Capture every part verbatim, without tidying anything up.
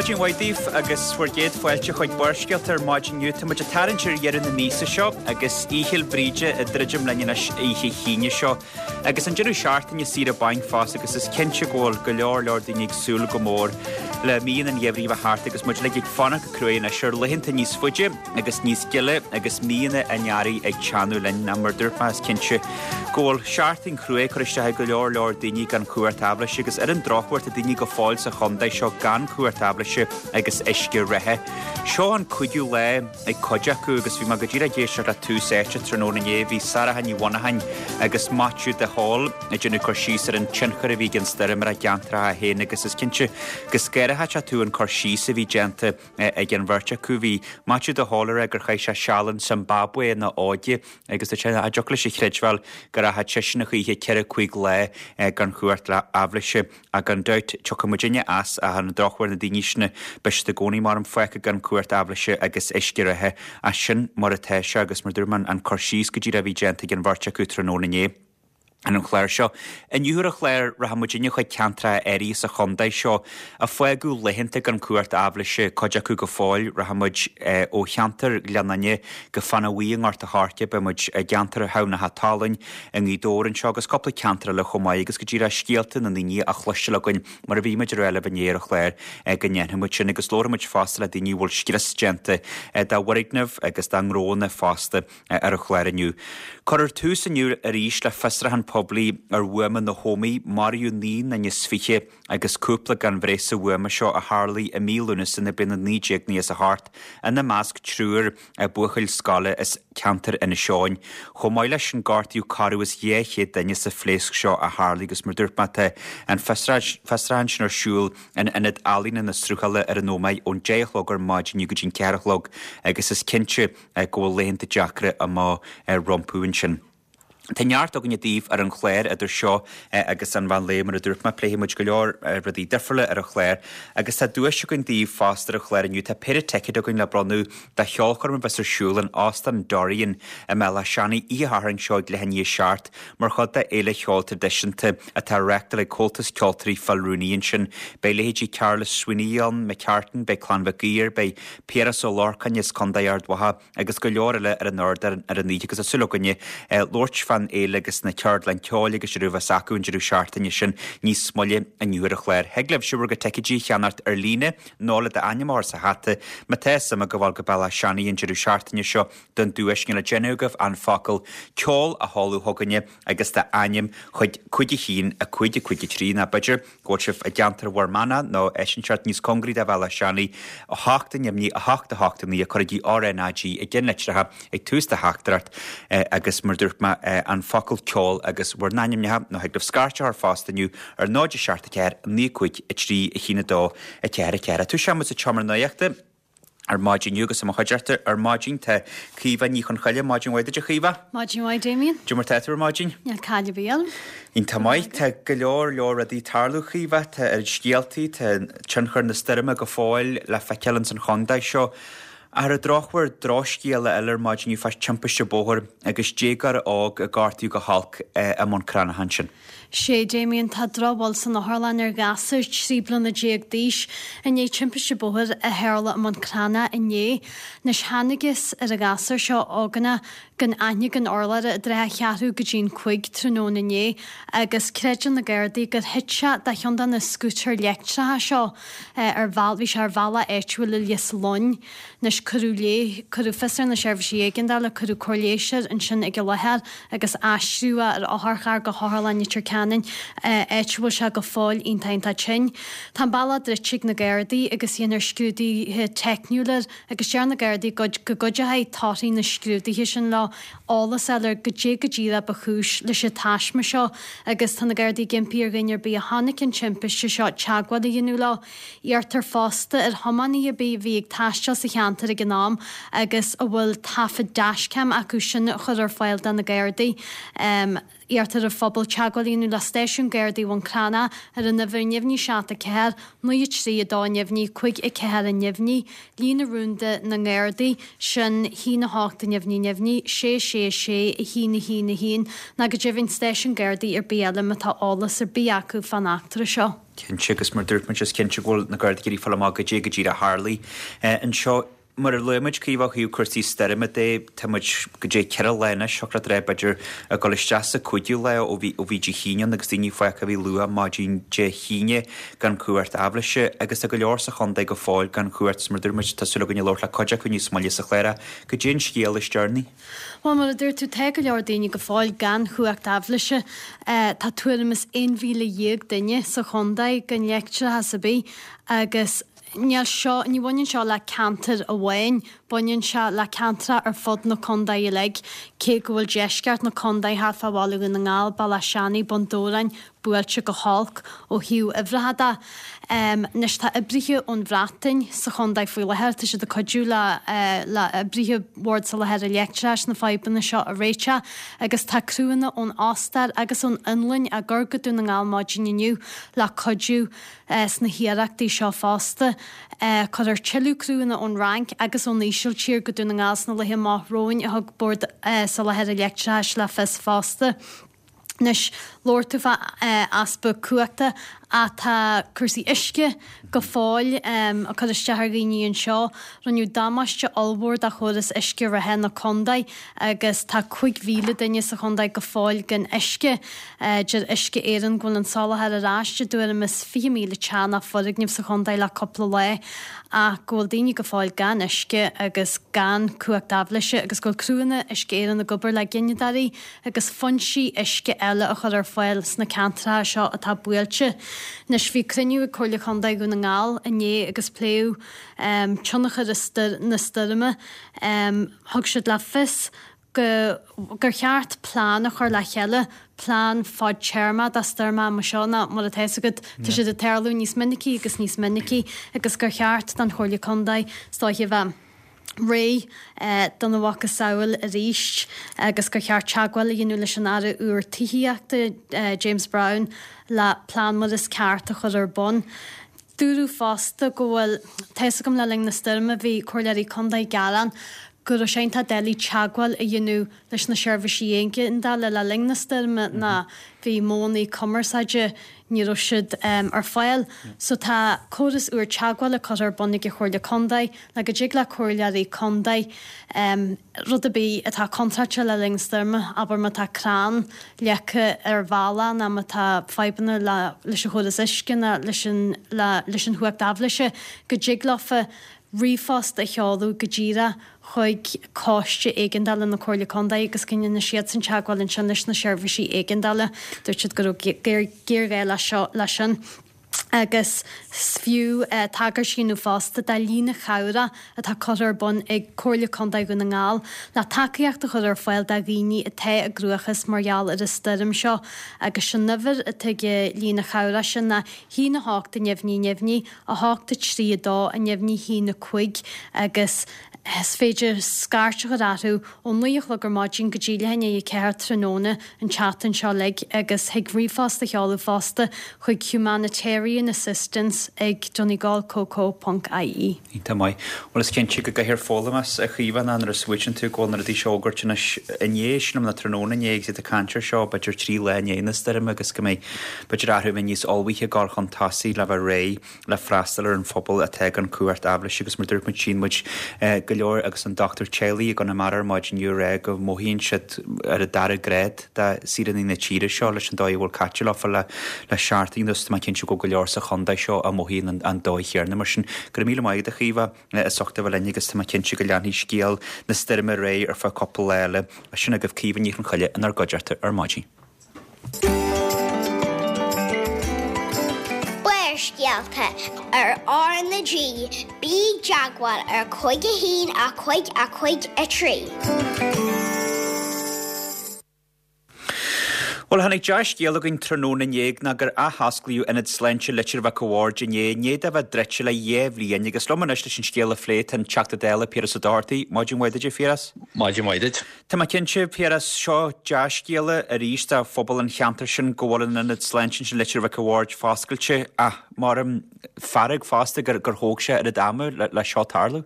Maidin mhaith daoibh agus bhur gcéad fáilte chuig Barrscéalta ar maidin inniu. Tá muid ag tarraingt ar dheireadh na míosa seo agus Oíche Fhéil Bríde ag druidim linn anois oíche hAoine seo. Agus an deireadh seachtaine saoire bainc fosta agus is cinnte go bhfuil go leor leor daoine ag súil go mór le míonna an gheimhridh a bheith thart agus muid uilig ag fanacht go cruaidh anois ar laethanta níos faide agus níos gile agus míonna an earraigh ag teannadh linn. Ach mar dúirt mé is cinnte go bhfuil seachtain chruaidh curtha isteach ag go leor leor daoine gan chumhacht aibhléise agus ar an drochuair tá daoine go fóill sa chontae seo gan chumhacht aibhléise agus uisce reatha. Seo an cúigiú lá ag cuid acu agus bhí mé go díreach ag éisteacht le Tús Áite tráthnóna inné bhí Sarah Ní Mhonacháin agus Maitiú de Hól ag déanamh cur síos ar an tionchar a bhí ag an stoirm ar a gceantracha féin agus is cinnte go scanródh tú an cur síos a bhí déanta ag an bheirt acu. Bhí Maitiú de Hól ag rá gur chaith sé seal in Zimbabwe ina óige agus tá sé cha dtiocfadh leis a chreidbheáil go rachadh seisean a choíche ceithre cúig lá gan chumhacht le aibhléise ach gan dabht tiocfaidh muidinne as ach ar an drochuair na daoine sin beidh siad i gcónaí mar an fágtha gan chumhacht aibhléise agus uisce reatha as sin mar atá sé agus mar dúirt mé an cur síos go díreach a bhí déanta ag an bheirt acu tráthnóna inné. Ar an chlár seo. Inniu ar an chlár rachaidh muidinne chuig ceantracha áirithe sa chontae seo a fágadh laethanta gan chumhacht aibhléise cuid acu go fóill rachaidh muid ó cheantar Ghleann Fhinne go Fannadh Bhuí i nGort a' Choirce beidh muid i gceantar Thamhnach Talainn i nGaoth Dobhair anseo agus cúpla ceantar eile chomh maith agus go díreach scéalta na ndaoine a chloisteáil againn mar a bhí muid ag rá libh inné ar an chlár go ndéanfaidh muid sin agus labharfaidh muid fosta le daoine a bhfuil scrios déanta dá bhfoirgneamh agus dá ngnónna fosta ar an chlár inniu. Cuirfear tús inniu arís le fiosrúchán poiblí ar bhuama na hÓmaí maraíodh naoi nduine is fiche agus cúpla gan bhreith sa bhuama seo a tharlaigh i mí Lúnasa na bliana naoi déag naocha is a hocht ina measc triúr buachaill scoile as ceantar Inis Eoghain. Chomh maith leis sin gortaíodh corradh is dhá chéad duine sa phléasc seo a tharlaigh agus mar dúirt mé tá an fiosrúchán sin ar siúl in Ionad Ealaíona na Sruthala ar an Ómaigh ón deich a chlog ar maidin go dtí an ceathair a chlog agus is cinnte go bhfuil laethanta deacra amach rompu ansin. Tá neart againne daoibh ar an chlár idir seo agus an mheán lae mar a dúirt mé pléifidh muid go leor rudaí difriúla ar an chlár agus tá duais againn daoibh fosta ar an chlár inniu tá péire ticéad againn le bronnadh do cheolchoirm a bheas ar siúl in Óstán Dorian i mBéal Átha Seanaidh oíche Shathairn seo ag leath i ndiaidh a seacht mar chuid de fhéile cheoil traidisiúnta atá reáchtáil ag Comhaltas Ceoltóirí Phil Rooney ansin. Beidh leithéidí Carlos Sweeney ann, McCartan, beidh Clann Mhic Uidhir, beidh Piaras Ó Lorcáin as Contae Ard Mhacha agus go leor eile ar an ardán ar an oíche agus tá súil againne labhairt fán fhéile agus na ceardlanna ceoil agus a bheas acu an deireadh seachtaine sin níos moille inniu ar an chlár. Thig libh bhur gcuid ticéidí a cheannacht ar líne nó le d'ainm a chur sa hata má tá suim agaibh gabháil go Béal Átha Seanaidh an deireadh seachtaine seo don duais níl le déanamh agaibh an focal ceol a sheoladh chugainne agus d'ainm chuig cúig a haon a cúig a cúig a trí nó b'fhéidir go bhfuil sibh i gceantar Bhur Manach nó áit inteacht níos cóngaraí do Bhéal Átha Seanaidh a hocht a neamhní a hocht a hocht a naoi cuirigí RnaG i gceannlitreacha ag tús do theachtaireacht agus mar dúirt mé an focal ceol agus bhur n-ainmneacha nó thig libh scairt a chur fosta inniu ar náid a seacht a ceathair naoi cúig a trí a haon a dó a ceathair a ceathair. Tosaíonn muid sa tseomra nuachta ar maidin inniu agus i mo chuideachta ar maidin tá Caoimhe Ní Chonchoille maidin mhaith duit a Chaoimhe. Maidin mhaith Damien. Cad é mar tá tú ar maidin? Níl caill ar bith orm. Iontach maith tá go leor leor rudaí ag tarlú Chaoimhe tá ar scéaltaí tá tionchar na stoirme go fóill le feiceáil ins an chontae seo. Ar an drochuair drochscéala eile ar maidin inniu fá timpiste bóthair agus déagóir óg a gortaíodh go holc i mBun Cranncha ansin. Sé Damien tá drochbhail san otharlann ar ghasúr trí bliana déag d'aois i ndiaidh timpiste bóthair a tharla i mBun Cranncha inné. Anois thángthas ar an ghasúr seo ógánach gan aithne gan urlabhra i dtrátha a cheathrú go dtí an cúig tráthnóna inné agus creideann na Gardaí gur thit sé de cheann de na scútair leictreacha seo ar bheal bhí sé ar bhealach áitiúil i Lios Loinn. Anois cuireadh lé cuireadh fios ar na seirbhísí éigeandála cuireadh cóir leighis air ansin ag an láthair agus aistríodh é ar otharcharr go hOtharlann Leitir Ceanainn áit a bhfuil sé go fóill iontach iontach tinn. Tá an bealach druidte ag na Gardaí agus déanfar scrúduithe teicniúla air agus deir na Gardaí go go gcuideoidh torthaí na scrúduithe sin leo eolas a fháil ar goidé go díreach ba chúis leis an taisme seo agus tá na Gardaí ag impí ar dhuine ar bith a chonaic an timpiste seo teagmháil a dhéanamh leo. Iarrtar fosta ar thiománaithe ar bith a bhí ag taisteal sa cheantar láthair ag an am agus a bhfuil taifead dashcam acu sin a chur ar fáil do na Gardaí. Iarrtar ar an phobal teagmháil a dhéanamh le Stáisiún Gardaí Bhun Cranncha ar an uimhir neamhní seacht a ceathair, naoi a trí a dó neamhní cúig a ceathair a neamhní, líne rúnda na nGardaí, sin haon a hocht a neamhní neamhní, sé sé sé a haon a haon a haon, nó go deimhin stáisiún Gardaí ar bith eile má tá eolas ar bith acu fán eachtra seo. Cinnte, agus mar dúirt muid is cinnte go bhfuil na Gardaí ag iarraidh fáil amach goidé go díreach a tharlaigh anseo. Mar a luaigh muid, Caoimhe, ó thaobh cúrsaí stoirme de, tá muid goidé ceithre lá anois, thiocfadh leat a rá, b'fhéidir, ag dul isteach sa cúigiú lá ó bhí ó bhí Dé hAoine ann agus daoine fágtha a bhí luath maidin Dé hAoine gan cumhacht aibhléise agus tá go leor sa chontae go fóill gan chumhacht agus mar a dúirt muid, tá súil againn labhairt le cuid acu níos moille sa chlár. Goidé an scéal is deireanaí. Bhuel, mar a dúirt tú, tá go leor daoine go fóill gan chumhacht aibhléise. Tá tuairim is aon mhíle dhéag duine sa chontae gan leictreachas ar bith agus níl seo, ní bhaineann seo le ceantar amháin, baineann sé le ceantracha ar fud na contae uilig, cé go bhfuil deisceart na contae thart fá Bhaile Dhún na nGall, Bealach Seanaidh, Bun Dobhráin, buailte go holc ó thaobh uimhreacha de. Anois tá oibrithe ón Bhreatain sa chontae faoi láthair, tá siad ag cuidiú le le oibrithe Bhord Soláthair Leictreachais na fadhbanna seo a réiteach agus tá criúnna ón Ostair agus ón Fhionlainn á gcur go Dún na nGall maidin inniu le cuidiú sna hiarrachtaí seo fosta. Cuirfear tuilleadh criúnna ón Fhrainc agus ón Ísiltír go Dún na nGall sna laetha amach romhainn, a thug Bord Soláthair Leictreachais le fios fosta. Anois, labhair tú fá easpa cumhachta ach tá cúrsaí uisce go fóill ag cur isteach ar dhaoine anseo. Rinneadh damáiste ollmhór do chóras uisce reatha na contae agus tá cúig mhíle duine sa chontae go fóill gan uisce. Deir Uisce Éireann go bhfuil an soláthar ar ais i dtuairim is fiche míle teach nó foirgneamh sa chontae le cúpla lá ach go bhfuil daoine go fóill gan uisce agus gan cumhacht aibhléise agus go bhfuil criúnna Uisce Éireann ag obair le gineadóirí agus foinsí uisce eile a chur ar fáil sna ceantracha seo atá buailte. Anois, bhí cruinniú ag Comhairle Chontae Dhún na nGall inné agus pléadh tionchar na stoirme. Thug siad le fios go gur cheart plean a chur le chéile, plean fadtéarma do stoirmeacha mar seo nó mar atá fhios agat, tá siad ag tarlú níos minicí agus níos minicí agus gur cheart don Chomhairle Contae is dóiche a bheith réidh dona mhacasamhail arís agus gur cheart teagmháil a dhéanamh leis an Aire úr Tithíochta, James Browne, le plean mar is ceart a chur ar bun. Dúradh fosta go bhfuil, tá fhios agam le linn na stoirme bhí comhairleoirí contae ag gearán go raibh sé iontach doiligh teagmháil a dhéanamh leis na seirbhísí éigeandála le linn na stoirme ná bhí modhanna cumarsáide, ní raibh siad ar fáil. So tá córas úr teagmhála curtha ar bun ag an Chomhairle Contae le go dtig le comhairleoirí contae rud ar bith atá contráilte le linn stoirme, abair má tá crann leagtha ar bhealach nó má tá fadhbanna leis an chóras uisce nó leis an leis an chumhacht aibhléise, go dtig leofa ríomhphost a sheoladh go díreach chuig Coiste Éigeandála na Comhairle Contae agus go ndéanfaidh siadsan teagmháil ansin leis na seirbhísí éigeandála. Dúirt siad go raibh géarghá leis sin agus is fiú tagairt a dhéanamh fosta do líne chabhrach atá curtha ar bun ag Comhairle Contae Dhún na nGall le tacaíocht a chur ar fáil do dhaoine atá i gcruachás mar gheall ar an stoirm seo agus an uimhir atá ag an líne chabhrach sin ná haon a hocht a neamhní neamhní, a hocht a trí a dó a neamhní haon a cúig agus is féidir scairt a chur orthu ó naoi a chlog ar maidin go dtí leath i ndiaidh a ceathair tráthnóna an tseachtain seo uilig agus thig ríomhphost a sheoladh fosta chuig humanitarian assistance ag donegal co co ponc ie. Iontach maith. Bhuel is cinnte go gcaithfear foghlaim as, a Chaoimhe, nuair a smaoitíonn tú go bhfuil na rudaí seo á bhfógairt anois inné, sílim, nó tráthnóna inné agus iad ag caint air seo b'fhéidir trí lá i ndiaidh na stoirme agus go mbeidh b'fhéidir athrú a bheith níos ullmhaithe ag dul chun tosaigh le bheith réidh le freastal ar an phobal atá gan cumhacht aibhléise agus mar dúirt muid tchíonn muid go leor agus an dochtúir teaghlaigh i gConamara ar maidin inniu ag rá go mothaíonn siad ar an dara grád de saoránaigh na tíre seo leis an dóigh a bhfuil caite leofa le le seachtain anuas. Tá mé cinnte go bhfuil go leor sa chontae seo a mothaíonn an dóigh chéanna mar sin. Go raibh míle maith agat a Chaoimhe as ucht a bheith linn agus tá mé cinnte go leanfaidh scéal na stoirme ar aghaidh ar feadh cúpla lá eile. Sin agaibh Caoimhe Ní Chonchoille inár gcuideachta ar maidin. Barrscéalta ar R na G, bí i dteagmháil ar cúig a haon a cúig a cúig a trí. Bhuel, tháinig dea-scéal againn tráthnóna inné ná gur athosclaíodh Ionad Sláinte Leitir Mhic a' Bhaird inné, i ndiaidh dó a bheith druidte le dhá bhliain, agus liom anois leis an scéal a phlé tá an Teachta Dála Piaras Ó Dochartaigh. Maidin mhaith duit, a Phiarais. Maidin mhaith duit. Tá mé cinnte, Piaras, seo dea-scéala arís do phobal an cheantair sin go bhfuil an Ionad Sláinte sin Leitir Mhic a' Bhaird foscailte, ach maram fearg fosta gur gur thóg sé oiread ama le, le seo tarlú.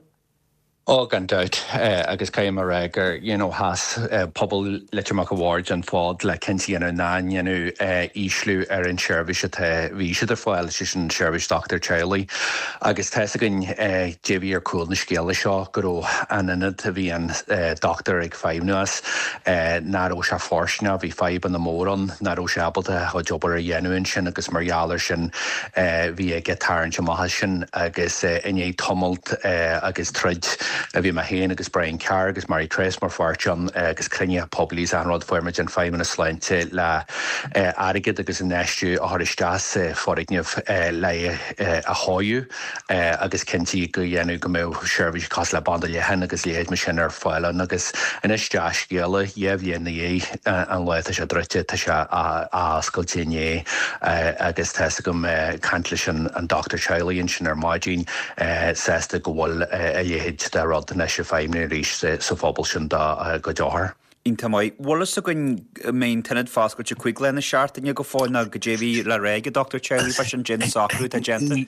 Ó gan dabht agus caithfidh mé a rá gur you know sheas pobal Leitir Mhic a' Bhaird an fód le cinnte a dhéanamh nach ndéanadh ísliú ar an seirbhís atá bhí siad ar fáil, sé sin seirbhís dochtúir teaghlaigh. Agus tá's againn dé bhí ar cúl na scéala seo go raibh an ionad a bhí an dochtúir ag feidhmiú as, nach raibh sé fóirsteanach, bhí fadhbanna mór ann, nach raibh sé ábalta a chuid obair a dhéanamh ansin agus mar gheall ar sin bhí aige tarraingt amach as sin agus i ndiaidh tamalt agus troid a bhí mé féin agus Brian Carr agus Mary Trace mar pháirt ann agus cruinnithe poiblí is achan rud fuair muid an Feidhmeannas Sláinte le airgead agus infheistiú a chur isteach sa foirgneamh le é a chóiriú agus cinntiú go dhéanamh go mbeadh seirbhís cosúil le banda leathan agus leithéid mar sin ar fáil ann agus anois dea-scéala dhá bhliain ina dhiaidh an lá atá sé druidte tá sé athoscailte inné agus tá's agam caint leis an dochtúir teaghlaigh ansin ar maidin sásta go bhfuil a leithéid de rud anois ag feidhmiú arís sa phobal sin dá gcuid othar. Iontach maith. Bhfuil fhios againn an mbeidh an t-ionad foscailte cúig lá na seachtaine go fóill nó goidé a bhí le rá ag an dochtúir teaghlaigh fá sin dén socrú atá déanta?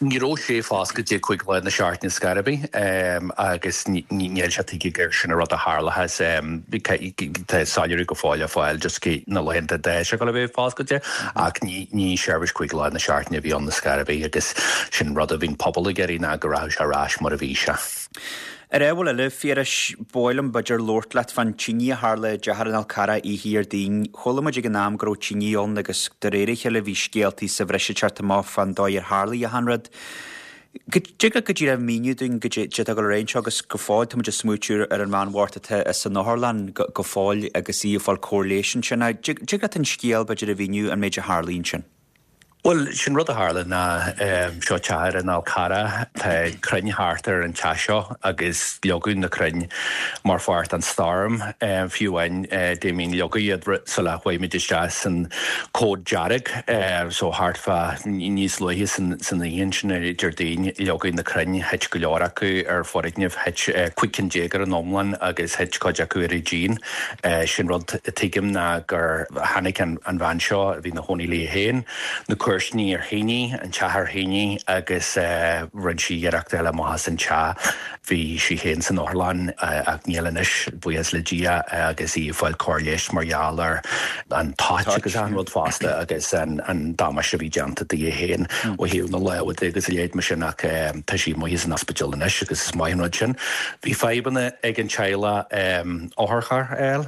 Ní raibh sé foscailte cúig lá na seachtaine scor ar bith agus níl sé tuigthe gur sin an rud a tharlóchas. Tá soiléiriú go fóill le fáil just cé na laethanta atá sé ag dul a bheith foscailte ach ní ní seirbhís cúig lá na seachtaine a bhí ann scor ar bith agus sin rud a bhíonn pobal ag iarraidh ná go rachadh sé ar ais mar a bhí sé. Ar ábhar eile, Phiarais, ba mhaith liom b'fhéidir labhairt leat fán tine a tharla i dteach ar an Fhál Carrach oíche Dhéardaoin. Chuala muid ag an am go raibh tine ann agus de réir a chéile bhí scéaltaí sa bhreis ag teacht amach fán dóigh ar tharlaigh achan rud. Dtig leat go díreach míniú dúinn goidé atá ag dul ar aghaidh anseo agus go fóill tá muid ag smaoitiú ar an bhean bhocht atá san otharlann go fóill agus í ag fáil cóir leighis ansin. Dtig leat an scéal b'fhéidir a mhíniú an méid a tharlaigh ansin? Bhuel, sin rud a tharla ná seo teach ar an Fhál Carrach, tá crainn thart ar an teach seo agus leagadh na crainn mar pháirt den storm. Fiú amháin Damien leagadh iad sula chuaigh muid isteach san cód dearg so thart fá níos luaithe san san oíche ansin ar Déardaoin leagadh na crainn, thit go leor acu ar foirgneamh, thit cúig cinn déag ar an iomlán agus thit cuid acu ar an díon. Sin rud a tuigim ná gur tháinig an an bhean seo a bhí ina chónaí léi féin, na comharsanaí ar thine, an teach ar thine agus rinne sí iarracht dul amach as an teach. Bhí sí féin san otharlann ach níl anois, buíochas le Dia, agus í ag fáil cóir leighis mar gheall ar an toit agus an rud fosta agus an an damáiste a bhí déanta di féin ó thaobh na lámha de agus a leithéid mar sin ach tá sí amuigh as an ospidéal anois agus is maith an rud sin. Bhí fadhbanna ag an teaghlach otharcharr a fháil,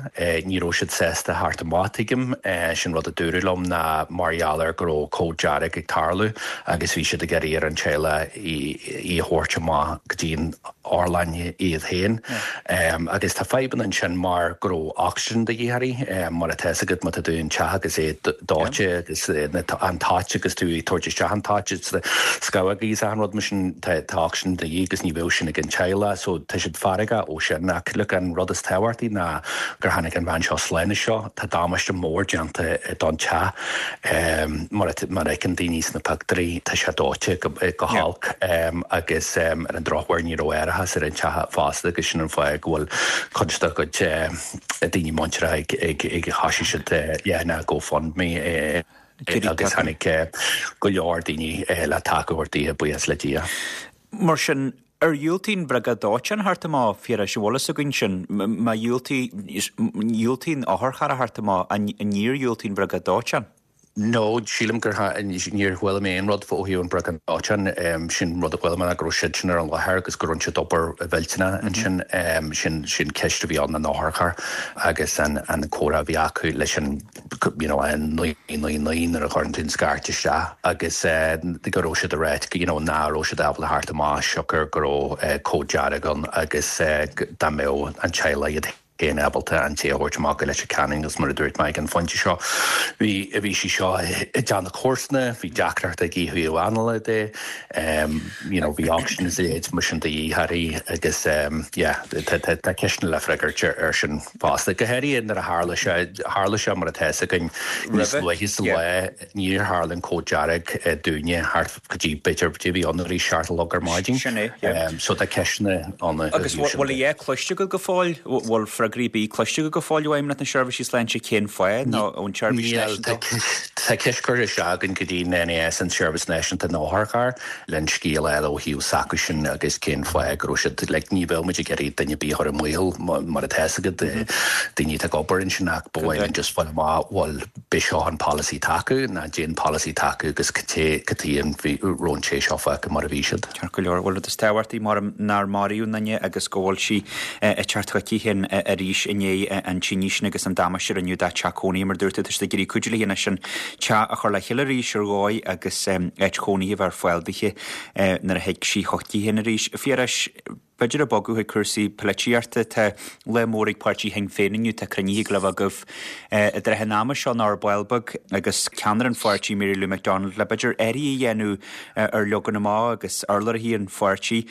ní raibh siad sásta theacht amach tuigim, sin rud a dúradh liom ná mar gheall ar go raibh cód dearg ag tarlú agus bhí siad ag iarraidh ar an teaghlach í a thabhairt amach go dtí an otharlann iad féin. Agus tá fadhbanna ansin mar go raibh ocsaigin de dhíth uirthi, mar atá fhios agat má tá tú in teach agus é dóite agus an toit agus tú ag tabhairt isteach an toit is scamhógaí is achan rud mar sin tá ocsaigin de dhíth agus ní bheadh sin ag an teaghlach so tá siad feargach ó sin ach look an rud is tábhachtaí ná gur tháinig an bhean seo slán as seo, tá damáiste mór déanta don teach mar mar a fheiceann daoine sna pictiúirí tá sé dóite go holc agus ar an drochuair ní raibh árachas ar an teach fosta agus sin an fáth go bhfuil cuid dá gcuid daoine muinteartha ag ag ag thosaigh siad leathanach GoFundMe agus tháinig go leor daoine le tacú a thabhairt di buíochas le Dia. Mar sin, ar dhiúltaigh an bhriogáid dóiteáin theacht amach, Phiarais, an bhfuil fhios againn sin, má dhiúltaigh dhiúltaigh an otharcharr a theacht amach, an níor dhiúltaigh an bhriogáid dóiteáin? No, sílim gur níor chuala mé aon rud ó thaobh an bhriogáid dóiteáin, sin rud a chuala mé ná go raibh siad sin ar an láthair agus go raibh siad obair mhillteanach ansin, sin sin ceist a bhí ann an otharcharr agus an an comhrá a bhí acu leis an you know an naoi naoi naoi nuair a chuireann tú an scairt isteach agus go raibh siad ag ráit you know ná raibh siad ábalta theacht amach siocair go raibh cód dearg ann agus dá mbeadh an teaghlach iad féin ábalta an té a thabhairt amach go Leitir Ceanainn agus mar a dúirt mé ag an phointe seo bhí bhí sí seo i dteannta comharsana, bhí deacracht aici ó thaobh anála de, you know, bhí ocsaigin is a leithéid mar sin de dhíth uirthi agus yeah, tá ceisteanna le freagairt ar sin fosta. Go háirithe nuair a tharla sé, tharla sé mar atá a fhios againn níos luaithe sa lá, níor tharla an cód dearg dúinne thart go dtí b'fhéidir dtí bhí ann arís seacht a chlog ar maidin. Sin é, yeah. So tá ceisteanna ann. Agus bhfuil a dhath cloiste agat go fóill? Bhfuil freagraí ar bith cloiste agat go fóill ó Fheidhmeannacht na Seirbhísí Sláinte cén fáth nó ón tSeirbhís Náisiúnta? Tá ceist curtha isteach againn go dtí an NAS, an tSeirbhís Náisiúnta na nOtharcharr, le an scéal a fháil ó thaobh s'acusan agus cén fáth go raibh siad, like, ní bheadh muid ag iarraidh duine ar bith a chur i mbaol mar atá a fhios agat, daoine atá ag obair ansin ach ba mhaith linn just fáil amach bhfuil b'é seo an polasaí atá acu nó cad é an polasaí atá acu agus cad é cad chuige a raibh an té seo fágtha mar a bhí siad. Ceart go leor. Bhuel, rud is tábhachtaí mar nár maraíodh aon duine agus go bhfuil sí ag teacht chuici féin arís i ndiaidh an tinnis sin agus an damáiste a rinneadh dá teach cónaithe. Mar a dúirt tú, tá siad ag iarraidh cuidiú léi anois an teach a chur le chéile arís ar dhóigh agus áit chónaithe a bheith ar fáil dithe nuair a thig sí chuici féin arís. Phiarais, b'fhéidir ag bogadh chuig cúrsaí polaitíochta, tá lá mór ag páirtí Shinn Féin inniu, tá cruinnithe ag gabháil a bheith agaibh i dtrátha an ama seo nó ar ball beag agus ceannaire an pháirtí Mary Lou McDonald le b'fhéidir athruithe a dhéanamh ar leagan amach agus urlabhraithe an pháirtí.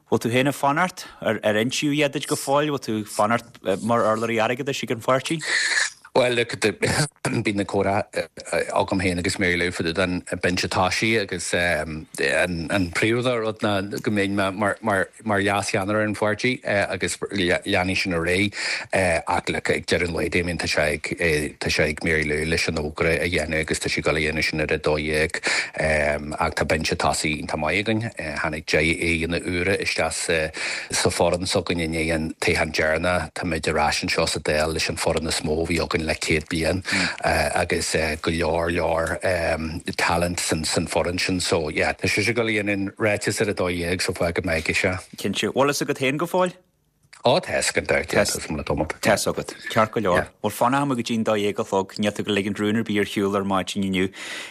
Bhfuil tú féin ag fanacht? Ar ar insíodh a dhath duit go fóill? Bhfuil tú ag fanacht mar urlabhraí airgeadais ag an pháirtí? Bhuel, look, bíonn na comhrá agam féin agus Mary Lou fá dtaobh den binse tosaigh agus an príomhrud ná go mbeinn mar mar leas-cheannaire an pháirtí agus leanfaidh sin ar aghaidh ach look, ag deireadh an lae Damien tá sé ag tá sé ag Mary Lou leis an fhógra a dhéanamh agus tá sí ag dul a dhéanamh sin ar a dó dhéag ach tá binse tosaigh iontach maith againn. Tháinig deich aghaidheanna úra isteach sa sa foireann s'againn i ndiaidh an toghchán deireanach. Táimid ar ais anseo sa Dáil leis an foireann is mó a bhí againn le céad bliain agus go leor leor talent san san foireann sin so yeah tá sise ag dul a dhéanamh an ráiteas ar a dó dhéag so fágfaidh mé aige sé. Cinnte. Bhfuil fhios agat féin go fóill? Ó tá fhios agam tá fhios agam. Tá fhios agat. Ceart go leor. Bhuel fanfaidh muid go dtí an dó dhéag a chlog, níl tú ag ligint rún ar bith ar shiúl ar maidin inniu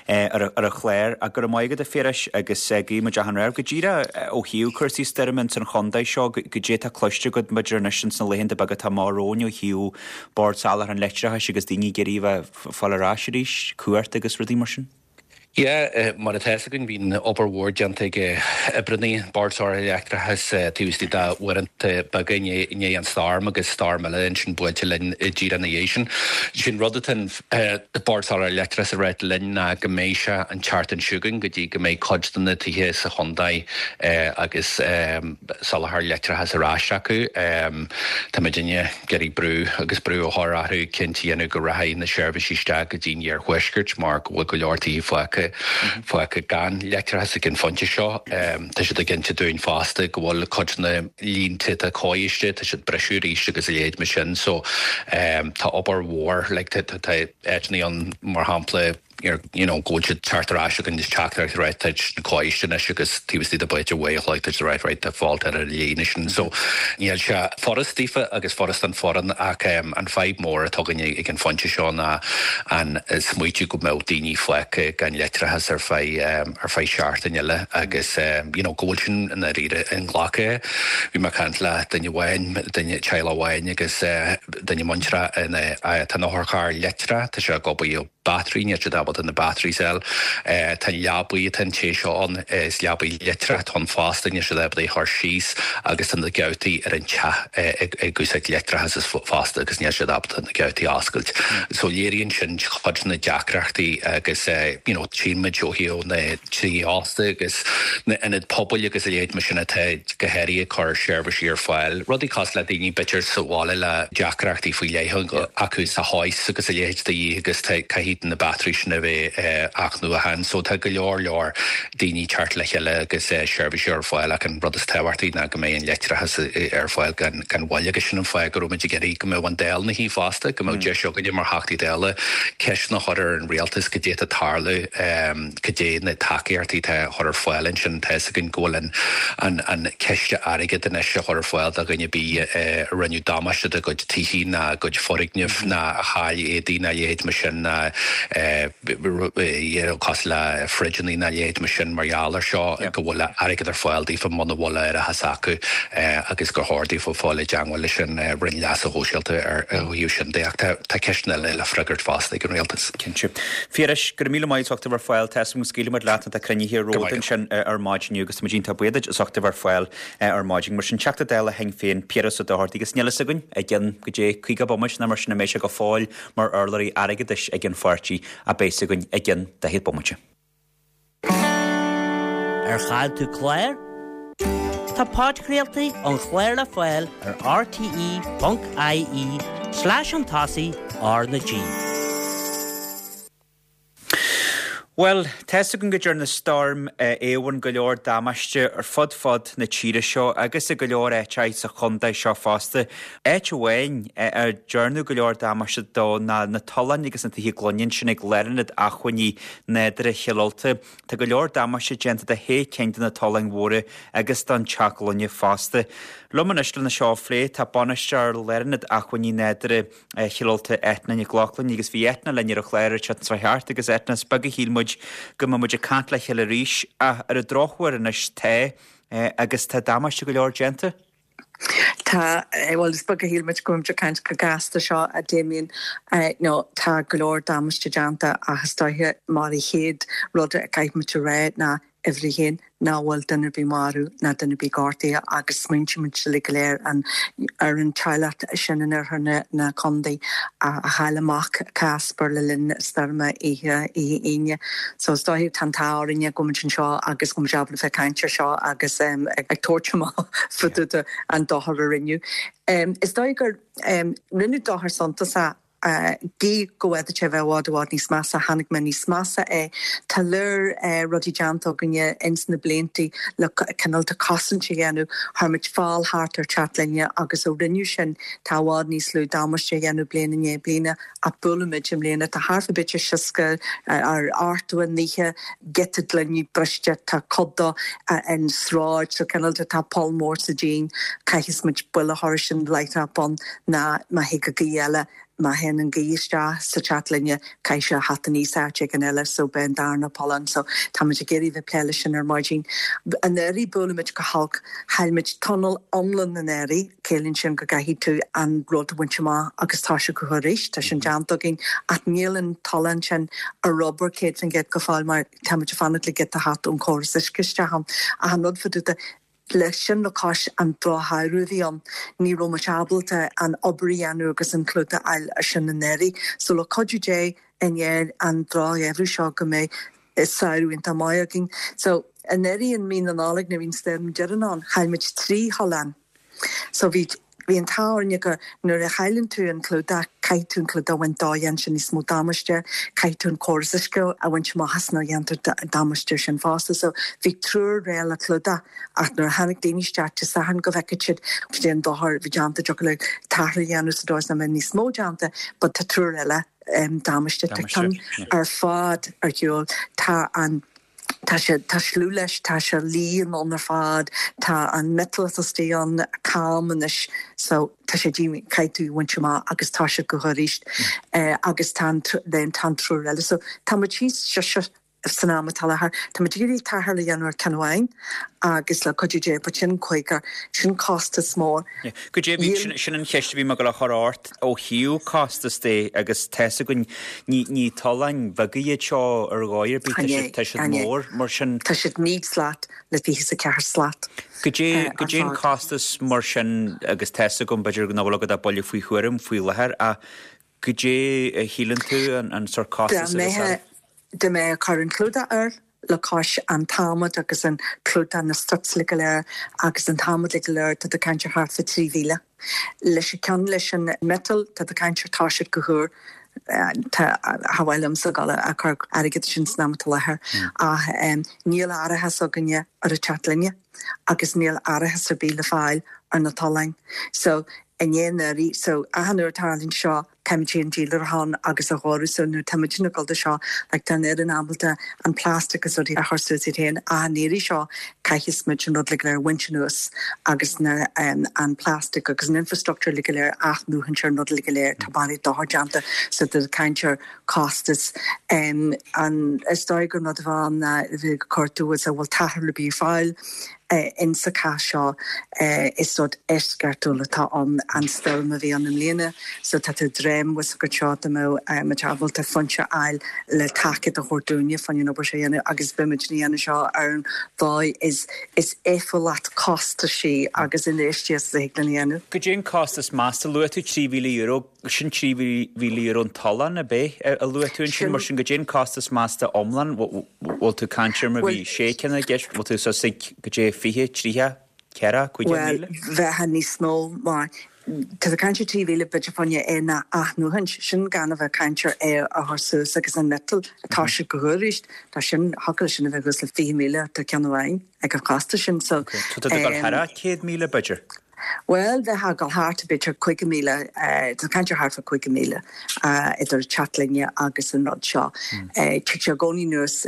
ar ar an chlár ach go raibh maith agat a Phiarais agus guí muid achan rath. Go díreach ó thaobh cúrsaí stoirme ins an chontae seo, goidé atá cloiste agat b'fhéidir anois ins na laethanta beaga atá amach romhainn ó thaobh Bord Soláthair an Leictreachais agus daoine ag iarraidh a bheith ag fáil ar ais arís, cumhacht agus rudaí mar sin? Yeah, mar atá fhios againn bhí obair mhór déanta ag oibreanna Bord Soláthair Leictreachais taobh istigh de uaireanta beaga i ndiaidh an storm agus storm eile ansin buailte linn díreach ina dhiaidh sin. Sin rud atá an Bord Soláthair Leictreachais ag ráit linn ná go mbeidh sé an tseachtain seo chugainn go dtí go mbeidh cuid de na tithe sa chontae agus soláthar leictreachais ar ais acu. Tá muidinne ag iarraidh brú agus brú a chur orthu cinnte a dhéanamh go rachaidh na seirbhísí isteach go dtí an iarthuaisceart mar go bhfuil go leor tithe fágtha fágtha gan leictreachas ag an phointe seo. Tá siad ag inse dúinn fosta go bhfuil cuid de na línte atá coiste, tá siad briseadh arís agus a leithéid mar sin so tá obair mhór like tá áiteanna ann mar shampla you know, go bhfuil siad teacht ar ais agus teachtaireacht right tá na coiste anois agus taobh istigh de b'fhéidir uair a chloig tá siad right right tá fáilte ar an líne sin so níl sé furast daofa agus furast don foireann ach an fadhb mór atá againn ag an phointe seo ná an smaoitiú go mbeadh daoine fágtha gan leictreachas ar feadh ar feadh seachtain eile agus you know, go bhfuil sin i ndáiríre inghlactha. Bhí mé ag caint le duine amháin, duine teaghlach amháin agus duine muinteartha ina tá an otharcharr leictreach, tá sé ag obair battery níl siad ábalta na batteries a fháil. Tá an leabaidh atá an té seo ann, is leabaidh leictreach atá ann fosta, níl siad ábalta é a chur síos agus tá na geaftaí ar an teach ag úsáid leictreachas fosta agus níl siad ábalta na geaftaí a oscailt. So léiríonn sin cuid de na deacrachtaí agus you know tchíonn muid ó thaobh na tithe ósta agus na ionaid pobail agus a leithéid mar sin atá go háirithe ag cur seirbhísí ar fáil. Rudaí cosúil le daoine b'fhéidir sa bhaile le deacrachtaí faoi leith acu sa hoist agus a leithéid de dhíth agus caithfidh na batteries sin a bheith athnuachan. So tá go leor leor daoine teacht le chéile agus seirbhísí ar fáil ach an rud is tábhachtaí ná go mbeidh an leictreachas ar fáil gan gan mhoill agus sin an fáth go raibh muid ag iarraidh go mbeadh an Dáil ina shuí fosta, go mbeadh deis againne mar Theachtaí Dála ceisteanna a chur ar an rialtas cad é atá ag tarlú, cad é na tacaíochtaí atá á chur ar fáil ansin. Tá fhios againn go bhfuil an an an ciste airgid anois á chur ar fáil do dhuine ar bith a rinneadh damáiste dá gcuid tithe ná a gcuid foirgneamh ná a chaill éadaí ná a leithéid mar sin ná you know, cosúil le fridgeanna nó a leithéid mar sin mar gheall ar seo go bhfuil airgead ar fáil daofa muna bhfuil árachas acu agus gur chóir daofa fáil i dteagmháil leis an Roinn Leasa Shóisialta ar thaobh sin de ach tá ceisteanna eile le freagairt fosta ag an rialtas. Cinnte. Phiarais, go raibh míle maith as ucht a bheith ar fáil, tá 'fhios agam go scaoilfidh muid leat tá cruinnithe romhat ansin ar maidin inniu agus tá muid iontach buíoch duit as ucht a bheith ar fáil ar maidin. Mar sin Teachta Dála Shinn Féin, Piaras Ó Dochartaigh agus níl fhios againn i gcionn go dté caoga bomaite nó mar sin an mbeidh sé go fóill mar urlabhraí airgeadais ag an pháirtí a bheas againn i gcionn daichead bomaite. Ar chaill tú clár? Tá podchraoltaí an chláir le fáil ar rte.ie slash an tosaigh R na G. Bhuel, tá 'fhios againn go ndearna Stoirm Éowyn go leor damáiste ar fud fud na tíre seo agus i go leor áiteacha sa chontae seo fosta. Áit amháin ar dearnadh go leor damáiste dó ná na tolláin agus na tithe gloine ansin ag Lárionad Acmhainní Nádúrtha Chill Ulta. Tá go leor damáiste déanta do shé cinn de na tolláin mhóra agus don teach gloine fosta. Liom anois lena seo a phlé tá bainisteoir Lárionad Acmhainní Nádúrtha Chill Ulta, Eithne Nic Lochlainn, agus bhí Eithne linn ar an chlár an tseachtain seo thart agus Eithne, is beag a shíl muid go mbeadh muid ag caint le chéile arís ach ar an drochuair anois tá agus tá damáiste go leor déanta. Tá, bhuel is beag a shíl muid go mbeadh muid ag caint chomh gasta seo a Damien, nó tá go leor damáiste déanta ach is dóiche mar an chéad rud a caithfidh muid a rá ná uimhir a haon nach bhfuil duine ar bith marbh ná duine ar bith gortaithe agus smaointímid uilig go léir an ar an teaghlach sin in oirthear na na contae a a chaill a mac Casper le linn stoirme oíche oíche Aoine. So is dóiche tá an t-ádh orainne go bhfuil muid anseo agus go bhfuil muid ábalta bheith ag caint ar seo agus um, ag, ag tabhairt amach fá dtaobh de an dochar a rinneadh. Um, is dóigh gur um, rinneadh dochar suntasach Gí go bhféadfadh sé a bheith i bhfad i bhfad níos measa, chonaic mé níos measa é. Tá leor rudaí déanta againne ins na bliantaí le cineál de cosaint a dhéanamh. Chuir muid fál thart ar teach gloine agus ó rinneadh sin tá i bhfad níos lú damáiste a dhéanamh bliain i ndiaidh bliana ach buailimid i mbliana. Tá thart fá b'fhéidir seasca ar ochtó naocha giota gloine briste, tá cuid dó an sráid so cineál de tá poll mór sa díon, caithfidh muid buille a chur sin láithreach bonn ná má thig an ghaoth eile Má théann an ghaoth isteach sa teach gloine, caithfidh sé a theacht aníos áit éigin eile so beidh an darna poll ann. So táimid ag iarraidh bheith ag plé leis sin ar maidin. Anuraidh buailimid go holc, chaill muid tunnel iomlán anuraidh, ciallaíonn sin go gcaithfidh tú an rud a bhaint amach agus tá sé go arís, tá sin déanta againn ach níl an tollán sin ar obair céad faoin gcéad go fóill mar táimid ag fanacht le giota a theacht ón chóras uisce isteach ann. Ach an rud fá dtaobh de, Leis sin le cois an drochshamhradh a bhí ann, ní raibh muid ábalta an obair a dhéanamh agus an clúdach a fháil ar sin anuraidh. So le cuidiú Dé i ndiaidh an drochgheimhreadh seo go mbeidh samhradh iontach maith againn. So anuraidh in mí na Nollag nuair a bhí an stoirm deireanach ann, chaill muid trí thollán. So bhí Bhí an t-ádh orainne gur nuair a chailleann tú an clúdach, caithfidh tú an clúdach a bhaint dó, dhéanann sé níos mó damáiste, caithfidh tú an córas uisce a bhaint amach as nó dhéantar damáiste ar sin fosta. So bhí triúr réidh le clúdach ach nuair a tháinig daoine isteach Dé Sathairn go bhfeicfeadh siad cad é an dochar a bhí déanta, dtiocfadh le t-athrú a dhéanamh sa dóigh is nach mbeidh níos mó déanta but tá triúr eile damáiste. Tá ceann ar fad ar shiúl. Tá an. Tá sé, tá sluaite leis, tá sé líon ann ar fad, tá an miotal atá istigh ann cam anois so tá sé díomhaoin, caithfidh tú a bhaint amach agus tá sé go arís agus tá an, then tá an triúr eile. So tá muid thíos sise san am atá i láthair. Tá muid ag iarraidh tarrtháil a dhéanamh ar ceann amháin agus le cuidiú Dé, but sin cúigear, sin costas mór. Goidé, bhí, sin an cheist a bhí mé ag dul a chur ort ó thaobh costas de agus tá 'fhios againn, ní, ní tolláin bheaga iad seo ar dhóigh ar bith, tá siad, tá siad mór mar sin. Tá siad naoi slat le fiche is a ceathair slat Goidé, goidé an costas mar sin agus tá 'fhios agam b'fhéidir nach bhfuil agat ach buille faoi thuairim faoi láthair ach goidé a shíleann tú an, an sórt costas a bheas ann? Dá mbeifeá ag cur an clúdach air le cois an t-adhmad agus an clúdach, na strips uilig go léir agus an t-adhmad uilig go léir, tá tú ag caint ar thart fá trí mhíle. Leis an ceann leis an miotal, tá tú ag caint ar tá siad go húr. Tá, cha mhaith liomsa dul ag cur airgead sin san am atá i láthair ach níl árachas againne ar an teach gloine agus níl árachas ar bith le fáil ar na tolláin. So, i ndiaidh anuraidh, so achan uair a tarlaíonn seo, Caithfimid an dílarthán agus a chóiriú so nuair tá muid ag gabháil de seo like tá an fhoireann ábalta an plastic agus rudaí a chur suas iad féin ach an iarraidh seo caithfidh muid an rud uilig go léir a bhaint anuas agus na um, an plastic agus an infrastructure uilig go léir athnuachan an rud uilig go léir tá barraí dochar déanta so tá caint ar costas um, an is dóigh gur rud amháin ná bhí cuartú is a bhfuil t-athrú le bí fáil eh, in sa chás seo eh, is rud eisceachtúil atá an an stoirm a bhí ann i mbliana so tá tú dream was go seo mé muid ábalta foinse a fháil le tacaíocht a thabhairt dúinne fan an obair sé dhéanamh agus beimid á dhéanamh seo ar an dóigh is is éifeachtach costasaí agus infheistíocht a thig linn a dhéanamh. Goidé an costas measta luaigh tú trí mhíle euro sin trí mhíle euro an tollán ab é a luaigh tú ansin mar sin goidé an costas measta iomlán bhfuil tú caint ar mar bhí sé cinn i gceist bhfuil tú suas ag goidé fiche tríocha ceithre cúig Well míle? bheith níos mó mar Tá a caint trí mhíle b'fhéidir fáinne é na athnuachan sin gan a bheith caint ar é a chur suas agus an metal atá sé go thuiríist tá sin hacail sin a bheith gus le fiche míle tá ceann amháin ag an chostas sin so So tá tú thar céad míle b'fhéidir. Well bheith go thart b'fhéidir cúig míle tá caint thart fá cúig míle idir teach linne agus an rud seo. Tig sé gcóí nuas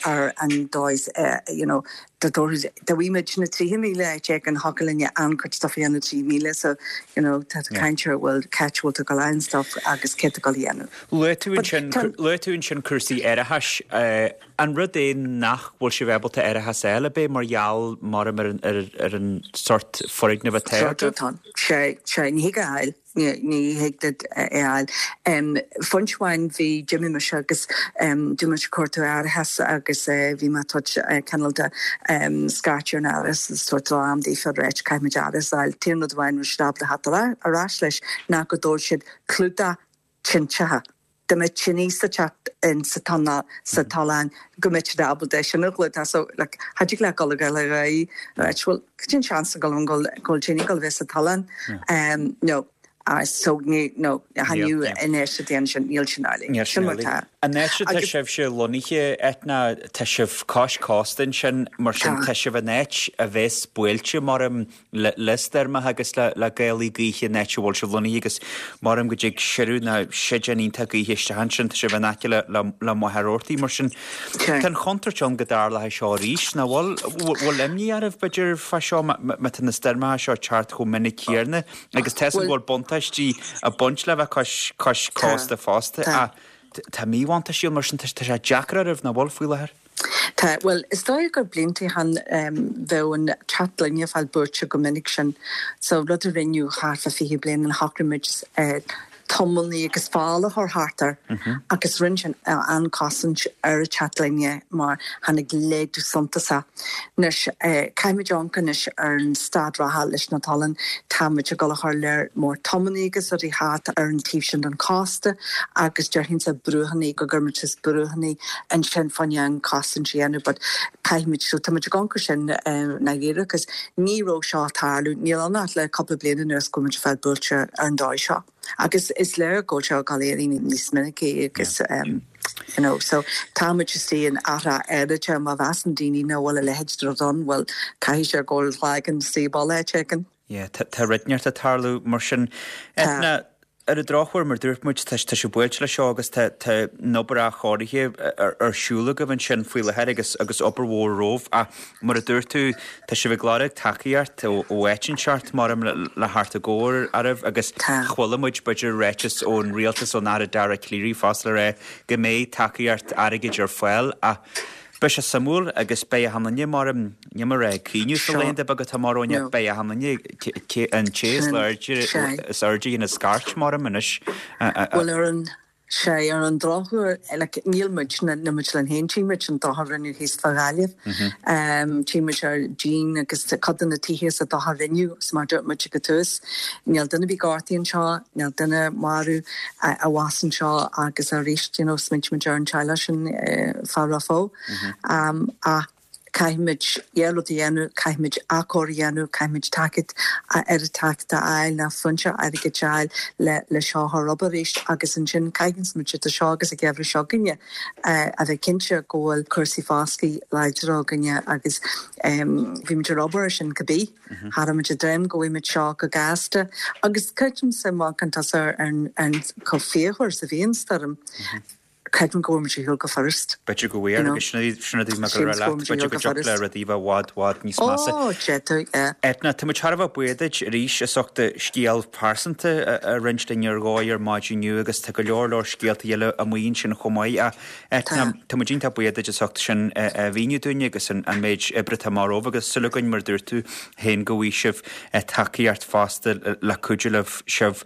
ar an dóis you know, da bhí na trí míle te an hacalinne an-chuid stuff na trí míle so you know, tá caint bhfuil catchhfuil go lein stuff agus cé go dhéanamh. Luaigh tú ansin cúrsaí árachais an rud é nach bhfuil sibh ábalta árachas eile bé mar gheall mar ar ar an sort foirgneamh atá sé sé ní fháil ní thig é fháil. Foinse amháin bhí Jimmy me agus dú cuartú árachas agus bhí má cineál de scairt an árachas sort am dí fe réit caithfimid árachas a fháil t-aon rud amháin stábla hat arás leis ná go dúirt siad clúdach tinte. De me tine sa teach in sa tonna sa tollán go mbeadh siad ábalta sin a chlúdach so like haidí le go go le right well cin seans go go go tine go bheith sa tollán um no uh, so ní no hanú inéis déan sin níl sin eile. Sin mar tá. An áit tá sibhse lonnaithe Eithne tá sibh cois cósta sin mar sin tá sibh in áit a bheas buailte mar le le stoirmeacha agus le le gálaí gaoithe an áit a bhfuil sibh lonnaithe agus mar go dtig siú na séideán iontach gaoithe isteach sin tá sibh in aice le le le Machaire Rabhartaigh mar sin Tá an chontúirt ann go dtarlóidh seo arís na bhfuil bhfuil imní oraibh b'fhéidir fá seo má tá na stoirmeacha seo teacht chomh minic céanna agus tá bhfuil buntáistí ag baint le bheith cois cois cósta fosta a Tá míbhuntáistí mar sin tá sé deacair oraibh na bhfuil faoi láthair. Tá well is dóigh gur blianta han um, bheith an teach linne fáil buailte go minic sin so rud a rinneadh thart fá fiche bliain an shocraigh uh, tumailní agus fála thar hartar mm -hmm. agus rinne sin uh, an cosaint ar an teach linne mar tháinig laghdú suntasach. Anois uh, caithfimid anois ar an staid reatha leis na tolláin táimid ag dul chur lear mór tumailní agus rudaí thart ar an taobh sin den chósta agus déarfainn sa brúthanna go gcuirfimid is brúthanna ansin fáinne an cosaint dhéanamh, but caithfimid so táimid ag amharc sin uh, na agus ní raibh seo tarlú níl an le cúpla bliain anuas go muid fáil buailte ar an dóigh seo. Agus is léir go seo galéirí níos minicí agus um, you know, so táimid sí an ara éidirte má mheasann daoine nach bhfuil a leithéid de rud ann, well caithfidh sé go legan sí ball chicken. Yeah, tá rud inteacht ag tarlú mar sin Eithne ar an drochuair mar dúirt muid tá tá sé buailte le seo agus tá an obair athchóirithe ar siúl agaibh ansin faoi láthair agus agus obair mhór romhaibh a mar a dúirt tú tá sibh ag lorg tacaíocht ó áit inteacht mar le le theacht i gcabhair oraibh agus chuala muid b'fhéidir ráiteas ón rialtas ón Aire Dara Calleary fosta le rá go mbeidh tacaíocht airgid ar fáil a Beidh sé suimiúil agus beidh achan duine mar ní mar é cuimhneamh sa laethanta beaga atá mar óine beidh achan duine an té is is airde ina scairt mar anois. Well ar an sé ar an drochuair like, níl muid na muid le haon tímuid an dochar rinneadh thíos fá Ghaillimh. Um, Tímuid ar díon agus cad na tithe sa dochar rinneadh mar dúirt muid go tús. Níl duine bí gortaithe anseo, níl duine marbh a bhás anseo agus arís you know, smaoinímid ar an teaghlach sin uh, fá rafó. Um, a Caithfimid dhá rud a dhéanamh, caithfimid athchóiriú a dhéanamh, caithfimid tacaíocht oiread tacaíocht a fháil ná foinse airgid a fháil le le seo a chur obair arís agus ansin caithfidh muid idir seo agus an geimhreadh seo chugainne a bheith cinnte go bhfuil cúrsaí foscaidh láidir againne agus bhí muid ar obair ar sin cibé. Cha raibh muid ag dréim go bhfaighidh muid seo go gasta agus creidimse má amharcann tusa ar an chomh fíochmhar is a bhí an stoirm. Creidim go bhfuair muid ar shiúl go furast. B'fhéidir go bhfuair agus sin rud a bhí mé ag dul a rá leat, b'fhéidir go dtiocfadh le rudaí a bheith i bhfad, bhfad níos measa. Ó, d'fhéadfadh, yeah. Eithne, tá muid thar a bheith buíoch duit arís as ucht do scéal pearsanta a roinnt linn ar dhóigh ar maidin inniu agus tá go leor leor scéalta eile amuigh ansin chomh maith. Ach Eithne, tá muid iontach buíoch duit as ucht sin a mhíniú dúinne agus an méid oibre atá amach romhaibh agus súil againn mar a dúirt tú féin go bhfaighidh sibh tacaíocht fosta le cuidiú libh sibh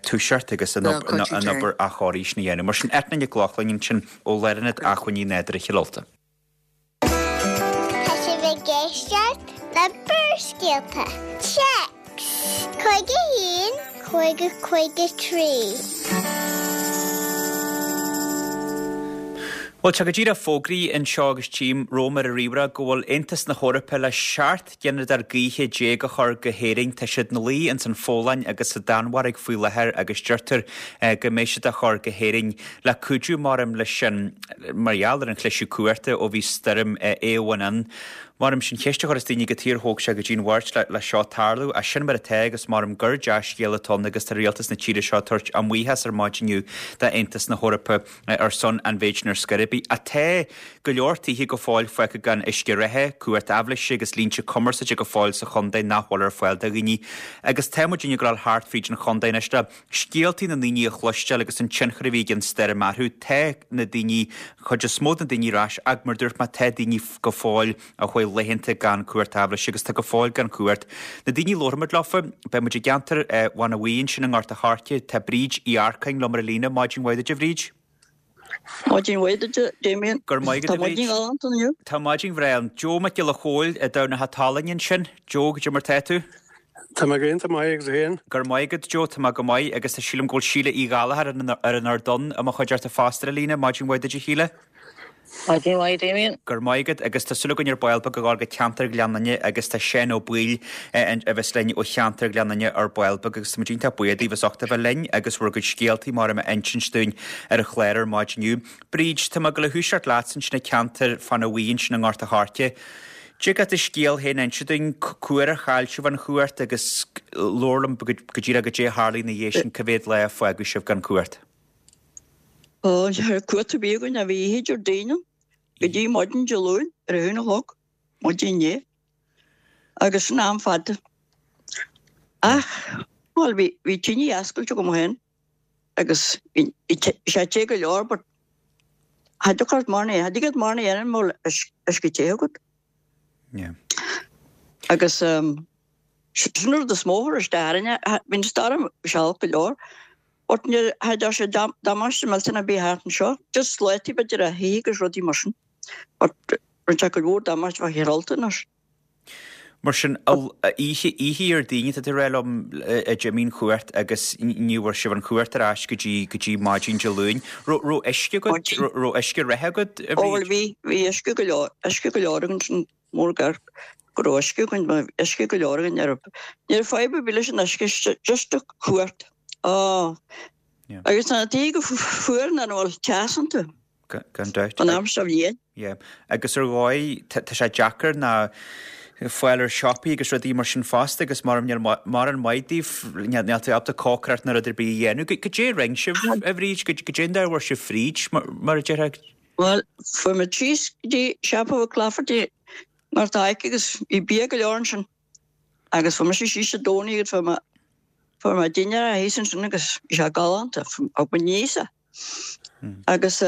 toiseacht agus an obair athchóirithe sin a dhéanamh. Mar sin, Eithne Nic Lochlainn ansin ó Lárionad Acmhainní Nádúrtha Chill Ulta. Tá sibh ag éisteacht le Barrscéalta. Téacs cúig a haon, cúig a cúig a trí. Bhuel, tá go díreach fógraithe anseo agus tchím romham ar an ríomhaire go bhfuil Aontas na hEorpa le seacht ghineadóir gaoithe déag a chur go hÉirinn. Tá siad ina luí ins an Pholainn agus sa Danmhairg faoi láthair agus deirtear go mbeidh siad á chur go hÉirinn le cuidiú maram leis sin mar gheall ar an chliseadh cumhachta ó bhí stoirm Éowyn ann. Maram sin ceist a chuireas daoine cad chuige ar thóg sé go dtí'n Mháirt le seo tarlú ach sin mar atá agus maram gur dea-scéal atá ann agus tá rialtas na tíre seo ag tabhairt a mbuíochas ar maidin inniu d'Aontas na hEorpa ar son an mhéid sin ar scor ar bith. Ach tá go leor tithe go fóill fágtha gan uisce reatha, cumhacht aibhléise agus línte cumarsáide go fóill sa chontae nach bhfuil ar fáil do dhaoine agus tá muid ag gabháil thart fríd an chontae anois le scéaltaí na ndaoine a chloisteáil agus an tionchar a bhí ag an stoirm orthu. Tá na daoine, chuid is mó de na daoine ar ais ach mar dúirt mé tá daoine go fóill a chuaigh laethanta gan cumhacht aibhléise agus tá go fóill gan cumhacht. Na daoine a labharfaidh muid leofa, beidh muid i gceantar Bhanna Bhuí ansin i nGort a' Choirce, tá Bríd Uí Earcáin liom ar an líne. Maidin mhaith duit a Bhríd. Maidin mhaith duit, Damien. Go raibh maith agat, Tá maidin ghalánta inniu. Tá maidin bhreá ann. Joe Mac Giolla Chóill i dTamhnach an tSalainn ansin. Joe, goidé mar tá tú? Tá mé go hiontach maith agus tú féin? Go raibh maith agat, Joe, tá mé go maith agus tá sílim go bhfuil Síle Uí Ghallchóir ar an Ardán i mo chuideachta fosta ar an líne. Maidin mhaith duit a Shíle. Maidin mhaith, Damien. Go raibh maith agat agus tá súil againn ar ball beag a ghabháil go ceantar Ghleann Fhinne agus tá Seán Ó Baoill a bheas linn ó cheantar Ghleann Fhinne ar ball beag agus tá muid iontach buíoch daoibh as ucht a bheith linn agus bhur gcuid scéaltaí mar a insint dúinn ar an chlár ar maidin inniu. Bríd, tá mé ag dul a thoiseacht leatsa ansin i ceantar Fána Bhuí ansin i nGort a' Choirce. Dtig leat do scéal féin a inse dúinn, cá huair a chaill sibh an chumhacht agus labhair liom go díreach goidé a tharlaigh ina dhiaidh sin, cá mhéad lá a fágadh sibh gan cumhacht? Ó, ní raibh cumhacht ar bith againn, bhí oíche Déardaoin ann, go dtí maidin Dé Luain ar a haon a chlog, maidin inné. Agus sin am fada. Ach, bhuel, bhí, bhí tine oscailte agam féin agus bhí, bhí sé te go leor but cha dtiocfadh ort mórán, cha dtig leat mórán a dhéanamh mura bhfuil uisce te agat. Yeah. Agus um, sin an rud is mó a chuir isteach orainne, bhí an stoirm olc go leor. But ní raibh sé damáiste millteanach ar bith thart anseo, just slátaí b'fhéidir ar thithe agus rudaí mar sin. But rinne sé cuid mhór damáiste fá Chill Ulta anois. Mar sin, oíche, oíche Dhéardaoin tá tú ag rá liom a d'imigh an chumhacht agus ní bhfuair sibh an chumhacht ar ais go dtí, go dtí maidin Dé Luain. Raibh, raibh uisce agat, raibh uisce reatha agat, a Ó bhuel Bhríd? bhí, bhí uisce go leor, uisce go leor againn sin mór gar go raibh uisce againn, bhí uisce go leor againn, ní raibh, ní raibh fadhb ar bith leis an uisce, just an chumhacht. Á, agus tá na tithe go fuar nuair nach bhfuil teas iontu. Gan dabht. An am seo bhliain. Yeah. Agus ar dhóigh, tá sé deacair ná fáil ar siopaí agus rudaí mar sin fosta agus mar níl mórán maith daoibh, níl tú ábalta cócaireacht ná rud ar bith a dhéanamh. Goidé a rinne sibh, a Bhríd, goidé an dóigh a bhfuair sibh fríd, mar a déarfá? Bhuel, fuair muid síos go dtí siopa Mhic Laifeartaigh i nGort a' Choirce agus bhí bia go leor ansin. Agus fuair mise síos Dé Domhnaigh agus fuair mé Fuair mé dinnéar thíos ansin agus bhí sé galánta, thug mé níos é. Agus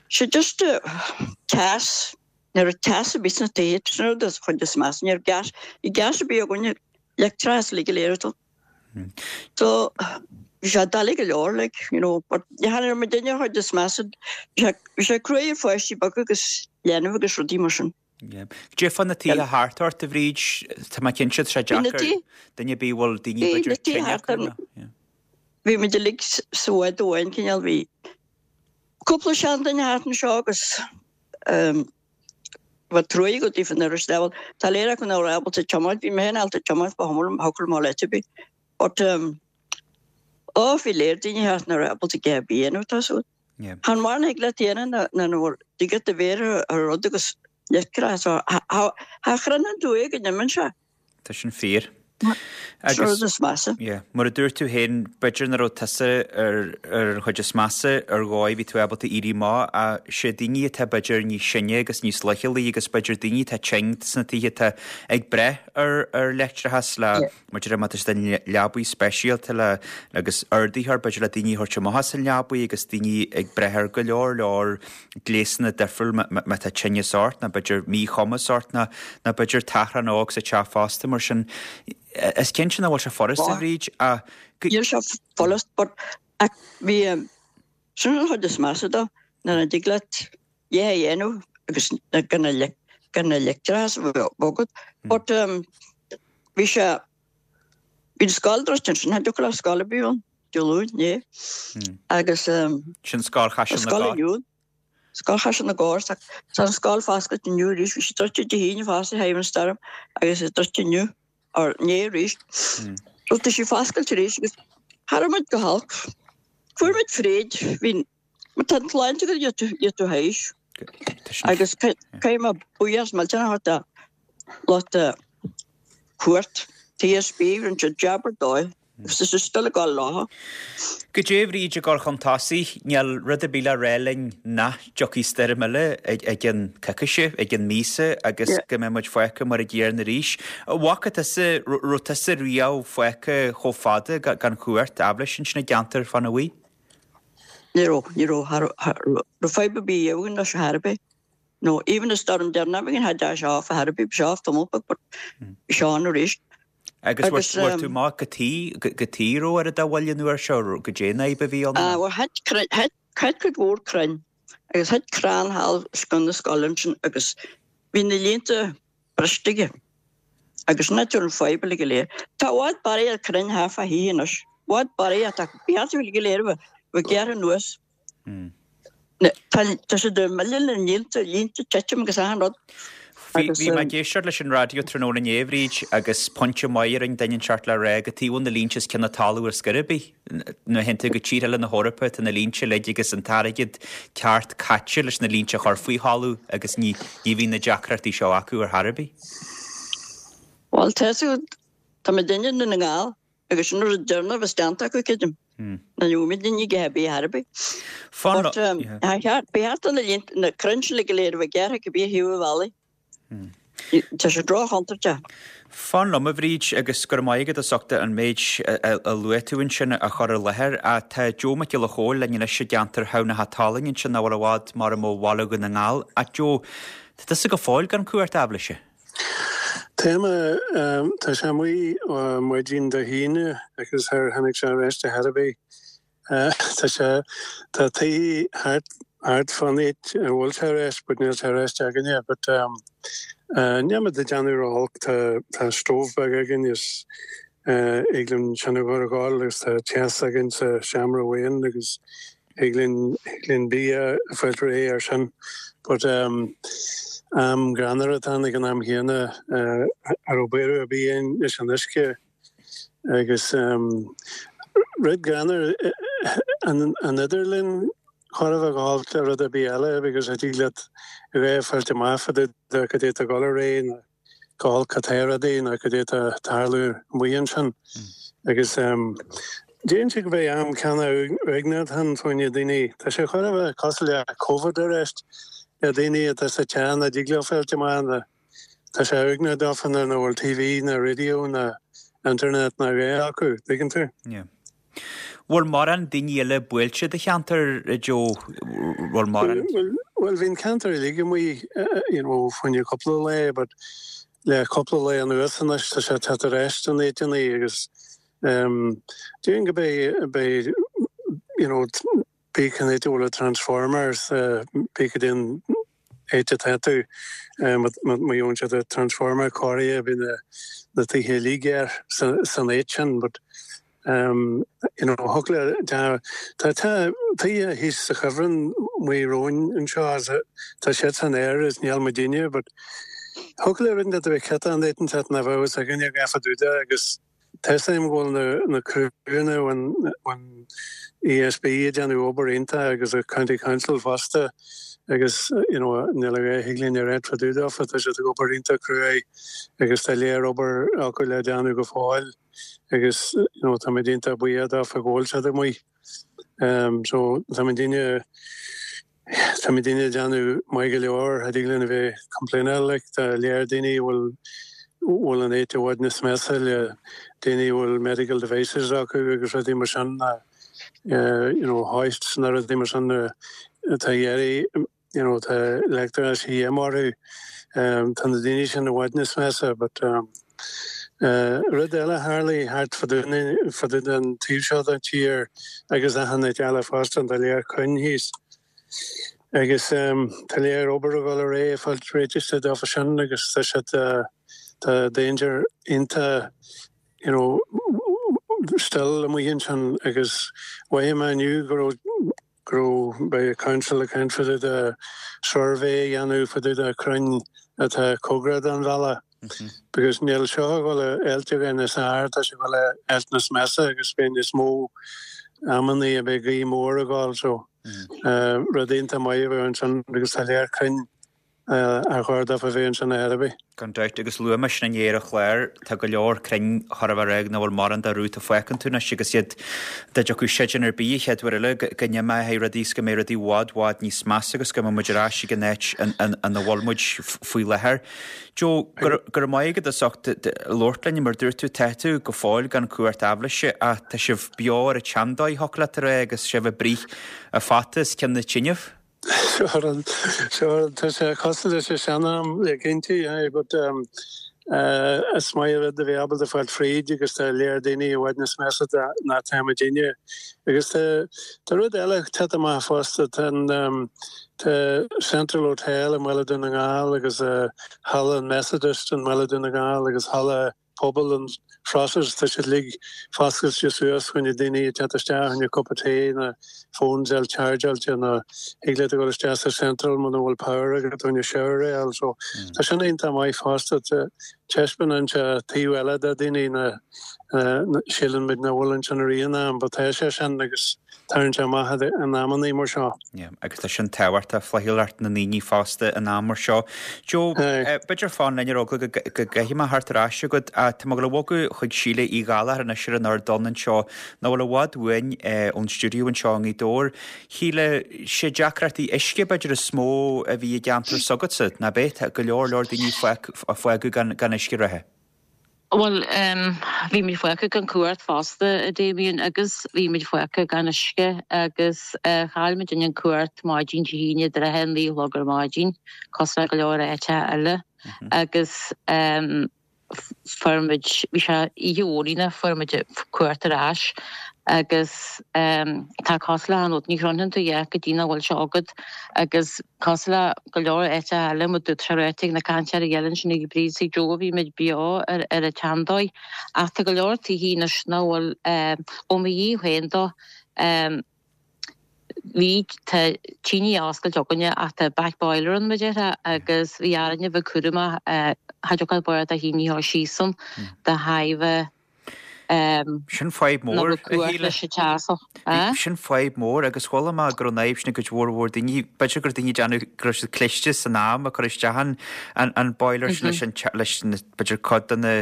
sé just teas, ní raibh teas ar bith sna tithe, sin an rud is chuid is measa, ní raibh gas, bhí gas ar bith againne, leictreachas uilig go léir atá. So bhí sé doiligh go leor like, you know, but ní raibh muidinne an chuid is measa, bhí sé bhí sé cruaidh ar pháistí beaga agus leanbh agus rudaí mar sin. Goidé fá na tithe thart ort, a Bhríd, tá mé cinnte, tá sé deacair duine ar bith bhfuil daoine b'fhéidir tine acu nó. Bhí muid uilig sa bhád amháin cineál, bhí cúpla seanduine thart anseo agus Bheadh truaí agat daofa nuair is leabhal. Tá léir acu nach raibh ábalta tiomáint, bhí mé féin ábalta tiomáint ba chuma liom, thiocfadh liom a dhul áit ar bith. But um, ó bhí léir daoine thart nach raibh ábalta a dhath ar bith a dhéanamh, tá súil. Chan mórán a thig leat a dhéanamh ná ná nuair dtig leat do mhéar a rud agus leictreachas so cha chruinneann tú é go n-imíonn sé. Tá sin fíor. Sin rud is measa. Yeah. Mar a dúirt tú féin, b'fhéidir nach raibh tusa ar ar an chuid is measa ar dhóigh, bhí tú ábalta éirí amach, ach sé daoine atá b'fhéidir níos sine agus níos leochailí agus b'fhéidir daoine atá tinn sna tithe atá ag brath ar ar leictreachas le Yeah. mar deir má tá siad i leabaí speisialta le agus ardaitheoir b'fhéidir le daoine a thabhairt amach as an leabaí agus daoine ag brath ar go leor leor gléasanna difriúil má tá tinneas ort nó b'fhéidir míchumas ort nó nó b'fhéidir tachrán óg sa teach fosta mar sin is cinnte nach bhfuil sé furasta Bhríd ach Níl sé furast but ach bhí sin an chuid is measa dó nuair a dtig leat é a dhéanamh agus gan na gan na leictreachas a bheith agat but um, bhí sé bhí an scoil druidte ansin cha dtiocfadh le scoil ar bith ann Dé Luain né agus um, sin Scoil Chaiseal na scoil gCorr. inniu Scoil Chaiseal na gCorr tá an scoil foscailte inniu arís bhí sé druidte Dé hAoine fosta thaobh an storm agus é druidte inniu or inné arís. So tá sí foscailte arís agus cha raibh muid go holc. Fuair muid fríd bhí má tá an tsláinte agat níl tú théis agus caithfidh mé buíochas millteanach a thabhairt do lucht cumhacht TSB rinne siad jab ar dóigh agus tá sé still ag dul leo. Goidé a Bhríd ag gabháil chun tosaigh, níl rud ar bith le rá linn nach dtiocfaidh stoirm eile ag ag an coicíse, ag an míosa agus Yeah. go mbeidh muid fágtha mar a gcéanna arís. Bhfaca tusa raibh tusa riamh fágtha chomh fada ga- gan chumhacht aibhléis ansin i gceantar fána bhuí? Ní raibh ní raibh raibh fadhb ar bith againn leis ar bith. No even a storm deireanach againn had sé off ar bith bhí sé off tamall beag but bhí sé on arís. Agus Agus, bhfuair tú um, amach go tí go tí raibh ar a dá bhfuil an uair seo goidé an fhadhb a bhí ann. Ah, well thit crainn- thit thit cuid mhór crainn agus thit crann thall os cionn na scoile ansin agus bhí na línte briste aige. Agus na an fadhb go léir. Tá bhfad barraí ar crainn thart fá thithe anois. Bhfad barraí tá bheartú go léir bheith gearr anuas. Na- Tá tá sé de mille na línte línte titim agus achan rud. Bhí Agus, bhí mé um, ag éisteacht leis an raidió tráthnóna inné Bhríd agus pointe maith ar an duine seart le rá go bhfuil na línte os cionn na talún ar scor ar bith. Nuair a théann tú go tír eile na hEorpa tá na línte uilig agus an t-airgead ceart caite leis na línte a chur faoi thalamh agus ní ní bhíonn na deacrachtaí seo acu ar chor ar bith. Well tá tá mé duine na nGall agus sin rud deireanach bheas déanta acu creidim. Na nú duine go bí Harbí. Fan But um, Bheart na línte na crainn le go léir bheith gearrtha go bí hiú bhaile. Tá sé drochchontúirteach. Fan liom a Bhríd agus gur maith agat as ucht an méid a a luaigh tú ansin a chur i láthair a tá Joe Mac Giolla Chóill linn anois i gceantar Thamhna na hAtalainn ansin nach bhfuil i bhfad mar ó bhaile Dhún na nGall a Joe Tá tusa go fóill gan cumhacht aibhléise. Téama tá sé amuigh maidin Dé hAoine agus ar tháinig sé arís ar chor ar bith. Tá sé tá tí thart thart fan áit a bhfuil sé arís, but níl sé arís againne, but um, uh, níl muid ag déanamh ró-olc tá tá stove beag againn is uh, thig linn sin a chur ag gabháil agus tá teas againn sa seomra amháin agus thig linn thig linn bia a fáil réidh ar sin. But um, am greannmhar atá ag an am chéanna uh, ar ó béir a bí leis an uisce agus um, rud greannmhar an an idirlíon chor a bheith gáil le rud ar bith eile because a dtig leat a bheith fáilte amach de goidé tá ag dul ar aghaidh na gáil catéradí na goidé tá ag tarlú amuigh ansin agus um, Déan sé go bheith am ceanna uaigneach an fáinne daoine Tá sé chor a bheith cosúil le COVID arís le daoine atá sa teach a dtig leo fáilte amach na Tá sé uaigneach daofa na bhfuil TV na radio na internet na ré acu, tuigeann tú? Yeah. Bhfuil mórán daoine eile buailte do cheantar Joe bhfuil mórán Well bhí'n ceantar uilig amuigh you know, fá choinne cúpla lá, but le cúpla lá anuas anois tá sé te arís an éiteanna agus um, Dúin go bé bé you know, bí can bhfuil transformers uh, bí din éite tú má dhéanann sé de transformer cóirithe bí na na tithe uilig san áit sin, but um, you know, thugla tá tá tá thíos sa chuibhreann amuigh romhainn anseo is tá siad san aer is níl muidinne but thiocfadh le rud inteacht a bheith ciotach an áit inteacht nach bheadh fhios againne a dhath fá dtaobh de agus tá fhios agam go bhfuil na na criúnna ón ón ESB ag déanamh obair iontach agus an County Council fosta agus you know níl a dhath a thig linn a ráit fá dtaobh dófa tá siad ag obair iontach cruaidh agus tá léir obair acu le déanamh go fóill agus you know tá muid iontach buíoch dófa go bhfuil siad amuigh. Um so tá muidinne tá muidinne ag déanamh maith go leor a dtig linn a bheith complaineáil like tá léir daoine a bhfuil bhfuil an áit i bhfad níos measa le daoine a bhfuil medical devices acu agus rudaí mar sin ná you know hoists na rudaí mar sin atá iarraidh you know tá leictreachas a dhíth orthu tá na daoine sin i bhfad níos measa but um Rud eile a tharlaigh thart fá dtaobh den taobh seo den tír agus achan áit eile fosta, tá léir crainn thíos agus tá léir obair ag dul ar aghaidh ag fáil réitithe dófa sin agus tá siad, tá danger iontach you know still amuigh ansin agus mhothaigh mé inniu go raibh go raibh beidh council ag caint fá dtaobh de suirbhé a dhéanamh fá dtaobh de crainn atá cóngarach don bhealach because níl seo ag dul a fháilt againn níos fearr, tá sé ag dul a fháilt níos measa agus beidh níos mó amannaí a beidh gaoth mór ag dul so rud iontach maith a bheadh ansin agus tá léir crainn ar chóir dófa a bheith ansin ar chor ar bith. Gan dabht, agus luaigh mé sin inné ar an chlár, tá go leor crainn chóir a bheith réidh nach bhfuil mórán de rúta fágtha iontu anois agus iad dá dtiocfadh séideán ar bith an chéad uair eile go n-imeoidh rudaí is go mbeidh rudaí i bhfad bhfad níos measa agus go mbeidh muid ar ais ag an áit ina bhfuil muid faoi láthair. Joe, go raibh maith agat as ucht labhairt linn, mar dúirt tú, tá tú go fóill gan cumhacht aibhléise ach tá sibh beo ar an tseandóigh, thiocfadh leat a rá, agus sibh ag bruith an fhata os cionn na tineadh. Sure, sure, tá sé cosúil leis an sean-am cinnte, aye, but um, uh, is maith an rud a bheith ábalta fáil fríd agus tá léir daoine i bhfad níos measa ná tá muidinne. Agus tá, tá rud eile tite amach fosta, tá an, um, tá Central Hotel i mBaile Dhún na nGall agus uh, Halla an Methodist i mBaile Dhún na nGall agus Halla Pobal an Phrosaire, tá siad uilig foscailte suas chun na daoine ag teacht isteach chun cupa tae nó phones a chargeáilte nó thig leat a dhul isteach sa Central muna bhfuil power agat chun shower a fháil so tá sin iontach maith fosta taispeánann sé taobh eile de daoine na síleann muid nach bhfuil ansin i rith an am but tá sé sin agus Tarraingt amach in amannaí mar seo. Yeah, agus tá sin tábhachtach, flaithiúlacht na ndaoine fosta in am mar seo. Joe, b'fhéidir fan linn ar eagla go gcaithfidh mé theacht ar ais chugat. Tá mé ag dul a bhogadh chuig Síle Uí Ghallchóir anois ar an ardán anseo, nach bhfuil i bhfad uainn ón stiúideo anseo i nGaoth Dobhair. Shíle, sé deacrachtaí uisce b'fhéidir is mó a bhí i gceantar s'agatsa, ná b'é? Tá go leor leor daoine a fágadh gan uisce reatha. Bhuel, bhí muid fágtha gan cumhacht fosta, a Damien, agus bhí muid fágtha gan uisce agus chaill muid an cumhacht maidin Dé hAoine idir a haon naoi a chlog ar maidin, cosúil le go leor áiteacha eile. Agus fuair muid, bhí sé oíche mhór Aoine, fuair muid cumhacht ar ais agus tá cosúil le an rud, ní chroitheann tú a dhath go dtí nach bhfuil sé agat agus cosúil le go leor áiteacha eile, mar dúirt sé ráite ag na cainteoirí eile ansin ag Bríd is ag Joe, bhí muid beo ar ar an tseandóigh ach tá go leor tithe anois nach bhfuil ó mo thaobh féin dó bhí tá tine oscailte againne ach tá back boiler ann mar a déarfá agus bhí orainn a bheith cúramach cha dtiocfadh barr do thine a chur síos ann de thairbhe Sin fadhb mór, a Shíle. Sin fadhb mór agus chuala mé go raibh an fhadhb sin ag cuid mhór mhór daoine, b'fhéidir gur daoine déanamh go raibh siad cliste san am a cur isteach an an boiler sin leis an leis na b'fhéidir cuid de na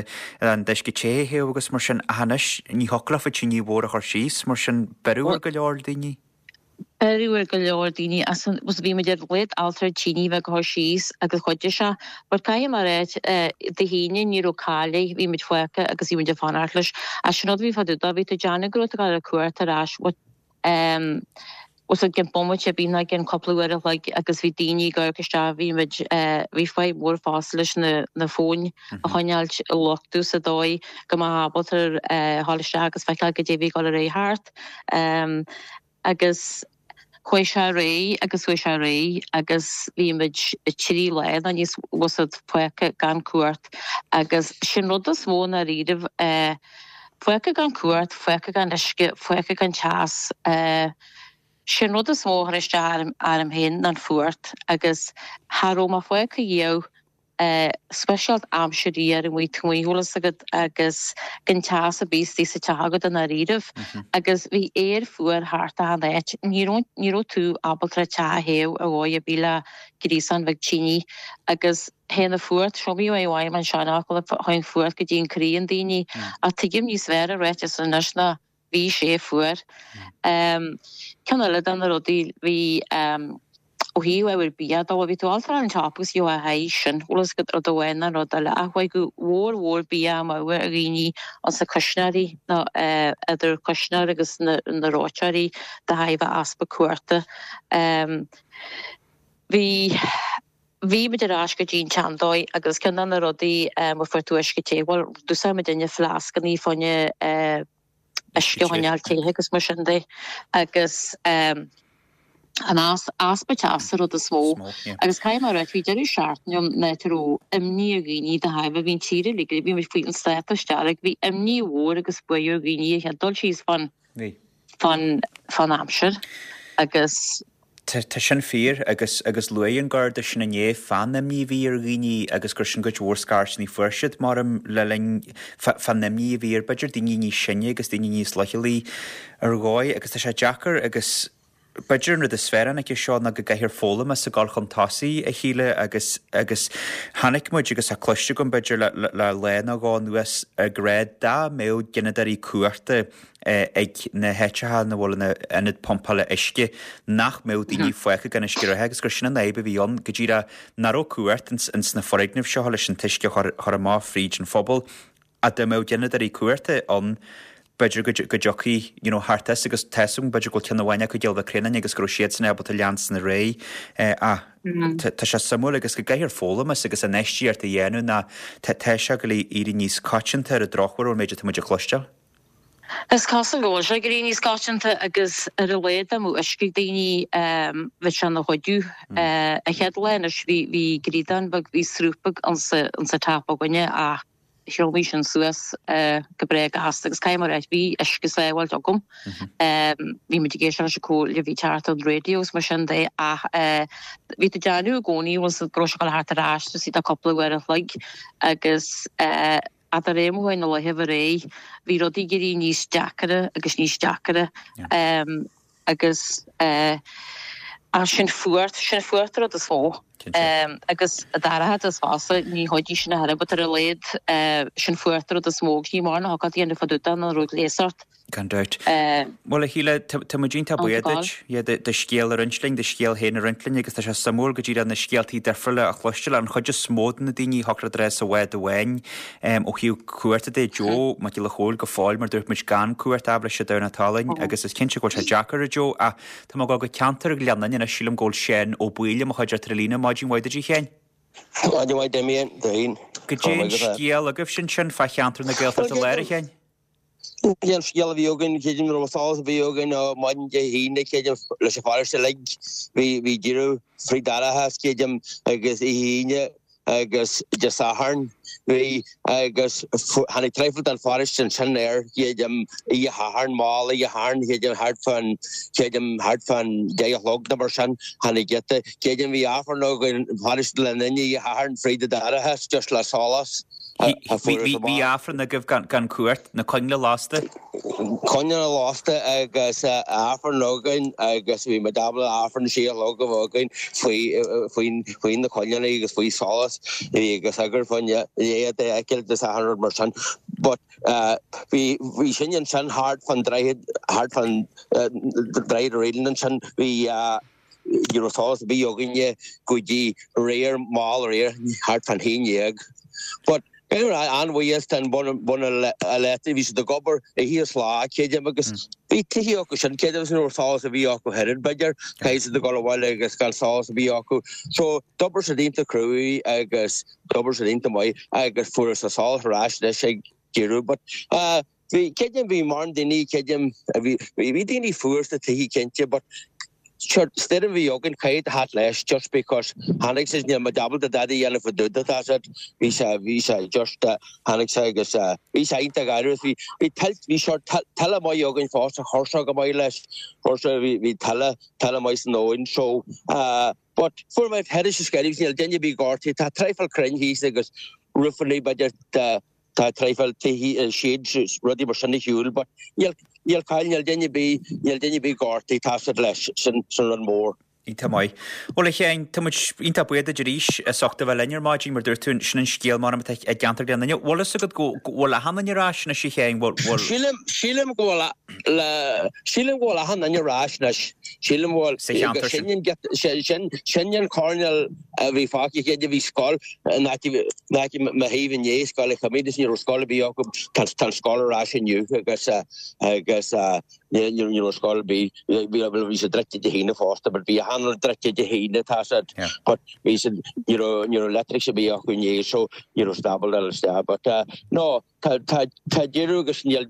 an uisce te a théamh agus mar sin ach anois ní thiocfadh leofa tine mhór a chur síos mar sin beireadh ar go leor daoine. Beireadh ar go leor daoine as an was bhí muid ar laghad altar tine bheith ag cur síos agus chuidigh sé but caithfidh mé a ráit Dé hAoine ní raibh caille bhí muid fágtha agus bhí muid ag fanacht leis ach sin rud a bhí fá dtaobh dó bhí tú ag déanamh go raibh tú ag dul ar cuairt ar ais but ehm was i gcionn bomaite ar bith nó i gcionn cúpla uair a chloig agus bhí daoine ag amharc isteach bhí muid eh bhí fadhb mhór fosta leis na na fóin a choinneáilt ag luchtú sa dóigh go mbeadh ábalta eh dhul isteach agus feiceáil goidé a bhí ag dul ar aghaidh thart ehm agus chuaigh sé ar aghaidh agus chuaigh sé ar aghaidh agus bhí muid trí lá nó níos was it fágtha gan cumhacht agus sin rud is mó i ndáiríribh fágtha gan cumhacht, fágtha gan uisce, fágtha gan teas. Sin rud is mó a chuir isteach orm féin ná an fuacht agus cha raibh mé fágtha riamh speisialta aimsir fhuar amuigh taobh amuigh bhfuil fhios agat agus gan teas ar bith istigh sa teach agat i ndáiríribh agus bhí aer fuar thart achan áit. Ní raibh ní raibh tú ábalta an teach a théamh ar dhóigh ar bith le gríosán bheag tine agus théann an fuacht, seo mé uaidh uaim an seanfhocal théann fuacht go dtí an croí an daoine ach tuigim níos fearr an ráiteas anois ná bhí sé fuar. Ceann eile de na rudaí bhí ó thaobh ábhar bia dó, bhí tú ábalta an tsiopa agus gheobhá a haghaidh sin, bhfuil fhios agat rud amháin nó rud eile ach chuaigh go mhór mhór bia amú ar dhaoine ansa cuisneoirí nó idir cuisneoir agus na na reoiteoirí de thairbhe easpa cumhachta. Bhí bhí muid ar ais go dtí an tseandóigh agus ceann de na rudaí má fuair tú uisce te, bhuel d'úsáid muid inne fleascanna fá choinne uisce a choinneáil te agus mar sin de agus an easpa teasa an rud is mó. Agus caithfidh mé a rá, bhí deireadh seachtaine ann nach raibh imní ar dhaoine de thairbhe, bhí an tír uilig, bhí muid faoin stádas dearg, bhí imní mhór agus buartha ar dhaoine a chéad dul síos fán fán fán aimsir agus. Tá sin fíor agus agus luaigh an Garda sin inné fán imní a bhí ar dhaoine agus gur sin cuid mhór scairteanna a fuair siad mar le linn fán imní a bhí ar b'fhéidir daoine níos sine agus daoine níos leithchealaí ar dhóigh agus tá sé deacair agus b'fhéidir an rud is fearr an aici seo ná go gcaithfear foghlaim as ag dul chun tosaigh a Shíle agus agus chonaic muid agus tá cloiste agam b'fhéidir le le lá nó dhó anuas ag rá dá mbeadh gineadóirí cumhachta ag na háiteacha ina bhfuil na ionaid pumpála uisce nach mbeadh daoine fágtha gan uisce reatha agus gur sin an fhadhb a bhí ann go díreach nach raibh cumhacht ins na foirgnimh seo leis an t-uisce a chur amach fríd an phobal ach dá mbeadh gineadóirí cumhachta ann b'fhéidir go dtiocfaí you know thart as agus tá 'fhios agam b'fhéidir go bhfuil ceann amháin acu i gCill Mhic Réanáin agus go raibh siadsan ábalta leanstan ar aghaidh ach tá sé suimiúil agus go gcaithfear foghlaim as agus infheistíocht a dhéanamh ná tá sé ag éirí níos coitianta ar an drochuair ón méid atá muid a chloisteáil. Is cosúil go bhfuil sé ag éirí níos coitianta agus ar a laghad dá mbeadh uisce ag daoine bheadh sé ina chuidiú. An chéad lá anois bhí bhí gríodán beag, bhí sruth beag insa insa tap againne ach thriomnaigh sin suas go breá gasta agus caithfidh mé a rá bhí uisce sábháilte agam. Bhí muid ag éisteacht leis an comhairle a bhí ag teacht ón raidió agus mar sin de ach bhí tú ag déanamh i gcónaí bhfuil go raibh sé ag dul thart ar ais istigh de cúpla uair an chloig agus Ach de réir mar a chuaigh na laethanta ar aghaidh, bhí rudaí ag éirí níos deacaire agus níos deacaire agus sin fuacht, sin fuacht an rud is mó. Agus an dorchadas fosta, ní chuidigh sin a thuilleadh, but ar a laghad sin fuacht an rud is mó agus ní mórán a thiocfadh a dhéanamh fá dtaobh de ná raibh gléas ort. Gan dabht. Bhuel, a Shíle, tá muid iontach buíoch duit, yeah, do scéal a roinnt linn, do scéal féin a roinnt linn agus tá sé suimiúil go díreach na scéaltaí difriúla a chloisteáil. An chuid is mó de na daoine a shocraigh dul sa bhád amháin ó thaobh cumhachta de, Joe Mac Giolla Chóill go fóill mar dúirt muid gan cumhacht aibhléise Domhnach Talainn agus is cinnte go bhfuil sé deacair a Joe ach tá mé ag dul go ceantar Ghleann Fhinne anois, sílim go bhfuil Seán Ó Baoill i mo chuideachta ar an líne. Maidin mhaith duit a Sheáin. Maidin mhaith Damien, Damien. Goidé an scéal agaibhse ansin fá cheantar na Gaeltachta Láir a Sheáin? An scéal a bhí againn, creidim ní raibh solas ar bith againn ó maidin Dé hAoine, creidim, leis an pharóiste uilig, bhí bhí deireadh fríd dorchadas, creidim, agus oíche Aoine agus Dé Sathairn, bhí agus tháinig traidhfil den pharóiste ansin air, creidim, oíche Shathairn, mall oíche Shathairn, creidim, thart fán, creidim, thart fán deich a chlog nó mar sin, tháinig giota, creidim, bhí Aifreann againn, paróiste Ghleann Fhinne oíche Shathairn fríd an dorchadas, just le solas. Bhí Aifreann agaibh gan cumhacht, na coinnle lasta? Coinnle lasta agus Aifreann againn agus bhí muid ábalta Aifreann sé a chlog a bheith againn faoi na coinnle agus faoi solas agus eagar fá choinne léamh a fheiceáil agus achan rud mar sin. But bhí bhí sin ansin thart fán droichead thart fán droichead Reelan ansin bhí Ní raibh solas ar bith againne go dtí aréir, mall aréir, thart fán haon dhéag. But caithfidh mé a rá, an-bhuíochas don Bhunadh Leictreach, bhí siad ag obair oíche is lá, creidim, agus bhí tithe acu sin, creidim, agus ní raibh solas ar bith acu oiread, b'fhéidir, caithfidh siad a dhul abhaile agus gan solas ar bith acu. So, d'obair siad iontach cruaidh agus d'obair siad iontach maith agus fuarthas an solas ar ais anois ag deireadh. But bhí, creidim, bhí mórán daoine, creidim, bhí, bhí daoine fuar sna tithe cinnte, but Sure, stoirm a bhí againn caithfidh a theacht leis just because tháinig sé níl muid ábalta dada a dhéanamh fá dtaobh de tá siad bhí sé bhí sé just tháinig sé agus bhí sé iontach gairid bhí bhí tuilt bhí sort tuile maith againn fosta chuir sé go maith leis chuir sé bhí bhí tuile tuile maith san abhainn so but fuair mé thairis is gairid níl duine ar bith gortaithe tá traidhfil crainn thíos agus roofanna b'fhéidir Tá traidhfil tithe sheds rudaí mar sin ar shiúl but níl níl caill níl duine ar bith níl duine ar bith gortaithe tá siad leis sin sin rud mór. Iontach maith. Bhuel a Sheáin, tá muid iontach buíoch duit arís as ucht a bheith linn ar maidin mar dúirt tú sin an scéal mar atá i gceantar Ghleann Fhinne. Bhfuil fhios agat go go bhfuil achan duine ar ais anois a Sheáin, bhfuil bhfuil. Sílim sílim go bhfuil le sílim go bhfuil achan duine ar ais anois. Sílim go bhfuil Sa cheantar sin. sin an get sin sin an coirnéal a bhí fágtha chéad a bhí scoil in áit in áit mo thaobh inné scoil a choimeád is ní raibh scoil ar bith acu tá tá an scoil ar ais inniu agus agus ní ní raibh scoil ar bith bhí bhí siad druidte Dé hAoine fosta but bhí achan rud druidte Dé hAoine tá siad but bhí siad ní raibh ní raibh leictreachas ar bith acu inné so ní raibh siad ábalta dul isteach but no Tá tá tá deireadh agus níl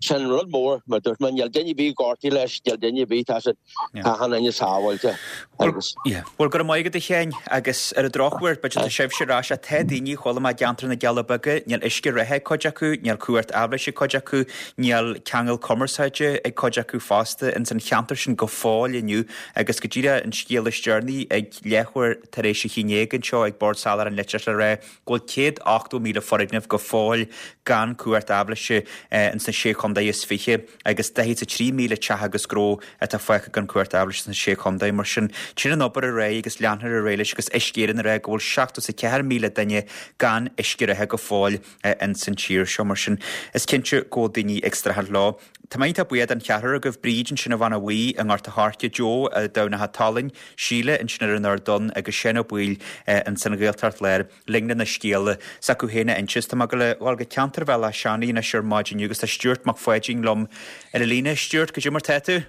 sin rud mór mar dúirt mé níl duine ar bith gortaithe leis níl duine ar bith tá siad tá achan duine sábháilte agus. Yeah. Bhuel go raibh maith agat a Sheáin agus ar an drochuair b'fhéidir tá sibhse ar ais ach tá daoine chuala mé i gceantar na gCealla Beaga níl uisce reatha ag cuid acu, níl cumhacht aibhléise ag cuid acu, níl ceangal cumarsáide ag cuid acu fosta ins an cheantar sin go fóill inniu agus go díreach an scéal is deireanaí ag leathuair tar éis a haon déag anseo ag Bord Soláthair an Leictreachais le rá go bhfuil céad ochtó míle foirgneamh go fóill gan cumhacht aibhléise ins na Sé Chontae is Fiche agus daichead is a trí míle teach agus gnó atá fágtha gan cumhacht aibhléise sna Sé Chontae. Mar sin, téann an obair ar aghaidh agus leanfar ar aghaidh leis agus Uisce Éireann ag rá go bhfuil seachtó is a ceathair míle duine gan uisce reatha go fóill ins an tír seo. Mar sin, is cinnte go bhfuil daoine ag streachailt leo. Tá mé iontach buíoch den cheathrar agaibh, Bríd ansin i Bhanna Bhuí i nGort a' Choirce, Joe i dTamhnach a' tSalainn, Síle ansin ar an Ard Donn agus Seán Ó Baoill ins an Ghaeltacht Láir linn lena scéala s'acu féin a inse. Tá mé ag dul go ceantar Bhéal Átha Seanaidh anois ar maidin inniu agus tá Stuart Mac Pháidín liom ar an líne. Stuart, cad é mar tá tú?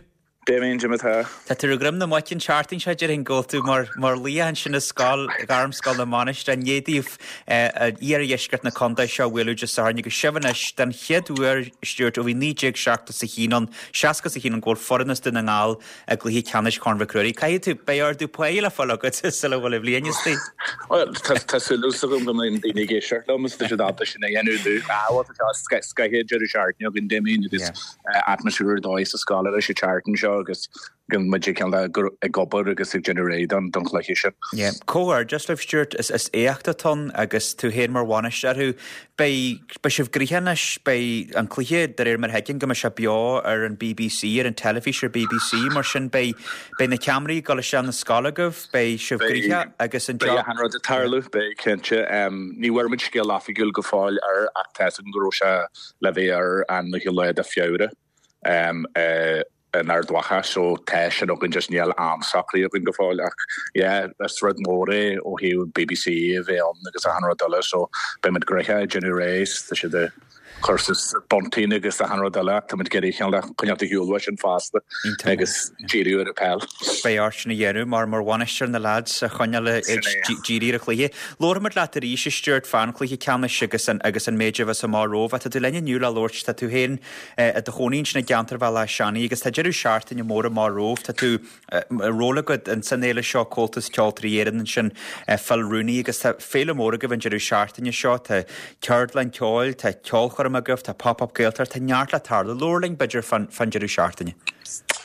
Damien, cad é mar tá. Tá tú ar dhroim na muice an tseachtain seo, déarfainn go bhfuil tú mar mar laoch ansin i scoil, Ghairmscoil na Mainistreach, i ndiaidh daoibh iardheisceart na contae seo a bhualadh Dé Sathairn agus sibh anois den chéad uair, Stuart, ó bhí naoi déag seachtó is a haon ann, seasca is a haon ann go bhfuil foireann as Dún na nGall i gcluiche ceannais Chorn Mhic Ruairí. Caithfidh tú, beidh ardú páí le fáil agat sula bhfuil an bhliain istigh. Bhuel, tá tá súil agam go mbeidh daoine ag éisteacht liom is tá siad ábalta sin a dhéanamh domh. Ah, bhuel, tá scoth deireadh seachtaine againn, Damien, agus atmaisféar ar dóigh sa scoil arís an tseachtain seo agus go muid ag ag obair agus ag déanamh réidh don don chluiche sin. Yeah. Comhghairdeas libh Stuart, is is éacht atá ann agus tú féin mar bhainisteoir orthu. Beidh beidh sibh gnoitheach anois, beidh an cluiche de réir mar a thuigim go mbeidh sé beo ar an BBC, ar an teilifís ar BBC, mar sin beidh beidh na ceamaraí ag dul isteach na scoile agaibh, beidh sibh gnoitheach agus an Beidh achan rud ag tarlú, beidh cinnte. Ní bhfuair muid scéal oifigiúil go fóill air ach tá 'fhios agam go raibh sé le bheith ar an naoú lá de Feabhra in Ard Mhacha so tá sin againn just níl am socraithe againn go fóill ach yeah is rud mór é ó thaobh BBC a bheith ann agus achan rud eile so beidh muid gnoitheach ag déanamh réidh tá siad ag cur suas bunting agus achan rud eile ach tá muid ag iarraidh cineál de coinneáil ar shiúl uaidh sin fosta agus díriú ar an peil. Beidh ort sin a dhéanamh mar mar bhainisteoir na lads a choinneáil ag díriú ar an chluiche. Labharfaimid leat arís a Stuart fán chluiche ceannais agus an agus an méid a bheas amach romhaibh. Tá tú linn inniu le labhairt, tá tú féin i do chónaí ansin i gceantar Bhéal Átha Seanaidh agus tá deireadh seachtaine mór amach romhaibh. Tá tú ról agat in san fhéile seo Comhaltas Ceoltóirí Éireann ansin Phil Rooney agus tá féile mór agaibh an deireadh seachtaine seo. Tá ceardlann ceoil, tá ceolchoirm agaibh, tá Pop-up Gaeltacht, tá neart le tarlú. Labhair linn b'fhéidir fán fán deireadh seachtaine.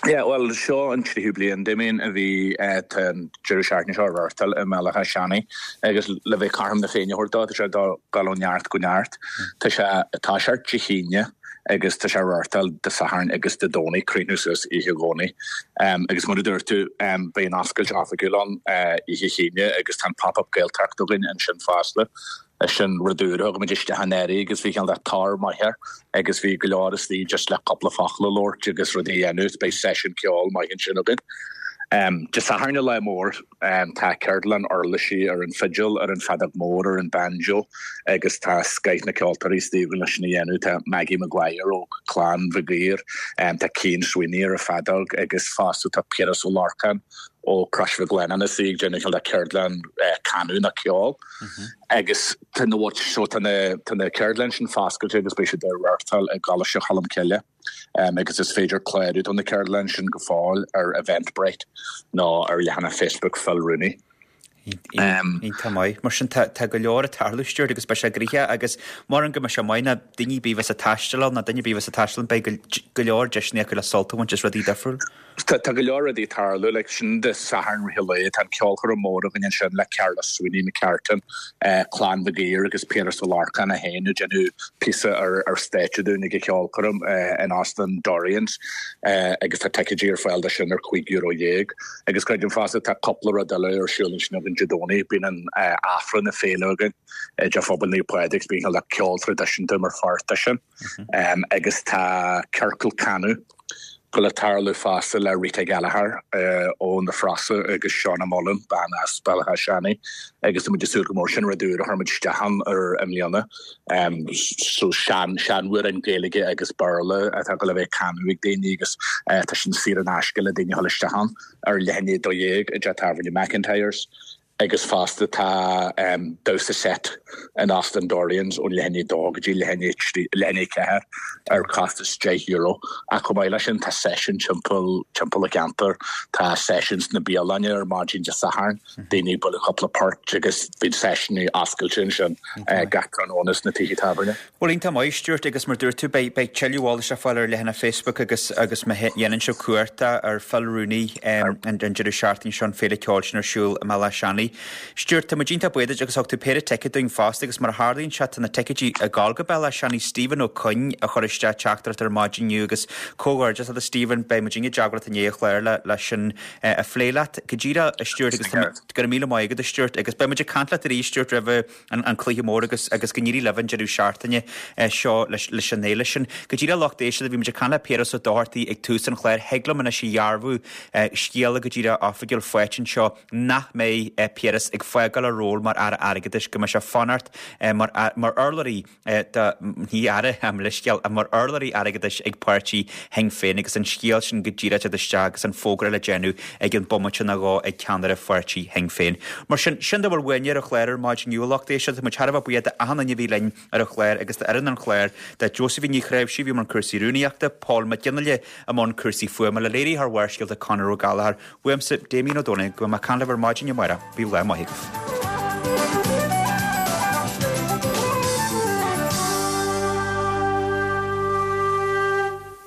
Yeah, bhuel seo an tríú bliain Damien a bhí tá an deireadh seachtaine seo á reáchtáil i mBéal Átha Seanaidh agus le bheith cothrom na Féinne a thabhairt dó, tá sé ag dul ó neart go neart. Tá sé ag toiseacht Dé hAoine agus tá sé á reáchtáil Dé Sathairn agus Dé Domhnaigh, críochnú suas oíche Dhomhnaigh. Agus mar a dúirt tú, beidh an oscailt oifigiúil ann oíche hAoine agus tá an Pop-Up Gaeltacht againn ansin fosta. Sin rud úr, thug muid isteach anuraidh agus bhí cineál de tóir maith air agus bhí go leor istigh just le cúpla focal a labhairt agus rudaí a dhéanamh. Beidh seisiún ceoil maith ansin againn. Dé Sathairn an lá mór, tá ceardlann uirlisí ar an bhfidil, ar an bhfeadóg mhór, ar an banjo agus tá scoith na ceoltóirí istigh againn leis sin a dhéanamh. Tá Maggie Maguire ó Clann Mhig Uidhir, tá Cian Sweeney ar an bhfeadóg agus fosta tá Piaras Ó Lorcáin ó Crois Mhic Lionnáin is í ag déanamh cineál de ceardlann canadh nó ceol agus tá na so tá na tá na ceardlann sin foscailte agus beidh siad á reáchtáil i gColáiste Cholmcille agus is féidir clárú do na ceardlann sin go fóill ar Eventbrite nó ar leathanach Facebook Phil Rooney. Iontach maith. Mar sin tá go leor ag tarlú Stuart agus beidh sé gnoitheach agus mar an go mbeidh sé maith ná daoine ar bith a bheas ag taisteal ann ná duine ar bith a bheas ag taisteal ann beidh go leor deiseanna acu le sult a bhaint as rudaí difriúil. Tá go leor rudaí ag tarlú, like sin Dé Sathairn rith an lae, tá an ceolchoirm mór againn ansin le Carla Sweeney McCartan, Clann Mhig Uidhir agus Piaras Ó Lorcáin é féin ag déanamh píosa ar ar stáitse dúinn ag an cheolchoirm in Óstán Dorian's agus tá ticéidí ar fáil do sin ar cúig euro dhéag. Agus creidim fosta tá cúpla rud eile ar siúl ansin againn Dé Domhnaigh, bíonn an Aifreann na Féile againn i dTeach Phobail Naomh Pádraig agus bíonn le ceol traidisiúnta mar pháirt de sin agus tá ciorcal canadh go le tarlú fosta le Rita Gallagher ó na Frosa agus Shauna Mullen, bean as Béal Átha Seanaidh agus tá muid ag súil go mór sin rud úr a chuir muid isteach ann ar i mbliana. So sean seanamhráin Gaeilge agus Béarla atá go le bheith canadh ag daoine agus tá sin saor in aisce le daoine a dhul isteach ann ar leath i ndiaidh a dó dhéag i dteach tábhairne McIntyre's. Agus fosta tá damhsa seit in Óstán Dorian's ón leath i ndiaidh a dó go dtí leath i ndiaidh trí, leath i ndiaidh a ceathair ar chostas deich euro. Ach chomh maith leis sin tá seisiúin timpeall, timpeall an cheantair. Tá seisiúin sna bialanna ar maidin Dé Sathairn, daoine ag bualadh cúpla port agus bíonn seisiúin oscailte ansin gach tráthnóna sna tithe tábhairne. Bhuel, iontach maith, Stuart, agus mar dúirt tú, beidh, beidh tuilleadh eolais le fáil ar leathanach Facebook agus, agus má dhéanann sibh cuartach ar Phil Rooney an, an deireadh seachtaine seo, an féile ceoil sin ar siúl i mBéal Átha Seanaidh. Stuart, tá muid iontach buíoch duit agus thug tú péire ticéad dúinn fosta agus mar a tharlaíonn sé, tá na ticéidí ag gabháil go Béal Átha Seanaidh. Stephen Ó Coinn a chuir isteach teachtaireacht ar maidin inniu agus comhghairdeas leat a Stephen, beidh muid i dteagmháil leat i ndiaidh an chláir le, le sin a phlé leat. Go díreach, a Stuart, agus tá, go raibh míle maith agat, a Stuart, agus beidh muid ag caint leat arís, Stuart, roimhe an cluiche mór agus agus go n-éirí libh an deireadh seachtaine seo leis leis an fhéile sin. Go díreach lucht éisteachta bhí muid ag caint le Piaras Ó Dochartaigh ag tús an chláir. Thig liom anois a dhearbhú scéala go díreach oifigiúil faighte anseo nach mbeidh Piaras ag fágáil a ról mar Aire Airgeadais, go mbeidh sé fanacht mar mar urlabhraí do ní aire am leithscéal mar urlabhraí airgeadais ag páirtí Shinn Féin agus an scéal sin go díreach ag teacht isteach agus an fógra le déanamh ag an bomaite nó dhó ag ceannaire pháirtí Shinn Féin. Mar sin, sin dá bhfuil uainne ar an chlár ar maidin inniu, a lucht éisteachta. Tá muid thar a bheith buíoch d'achan duine a bhí linn ar an chlár agus d'fhoireann an chláir, do Josephine Ní Chnáimhsí a bhí i mbun cúrsaí rúnaíochta, Paul Mac Fhionnghaile i mbun cúrsaí fuaime, le léiritheoir Bharrscéalta Conor Ó Gallchóir, uaimse, Damien Ó Dónaill, go mbeidh mé ag caint libh ar maidin amárach. Bíodh lá maith agaibh.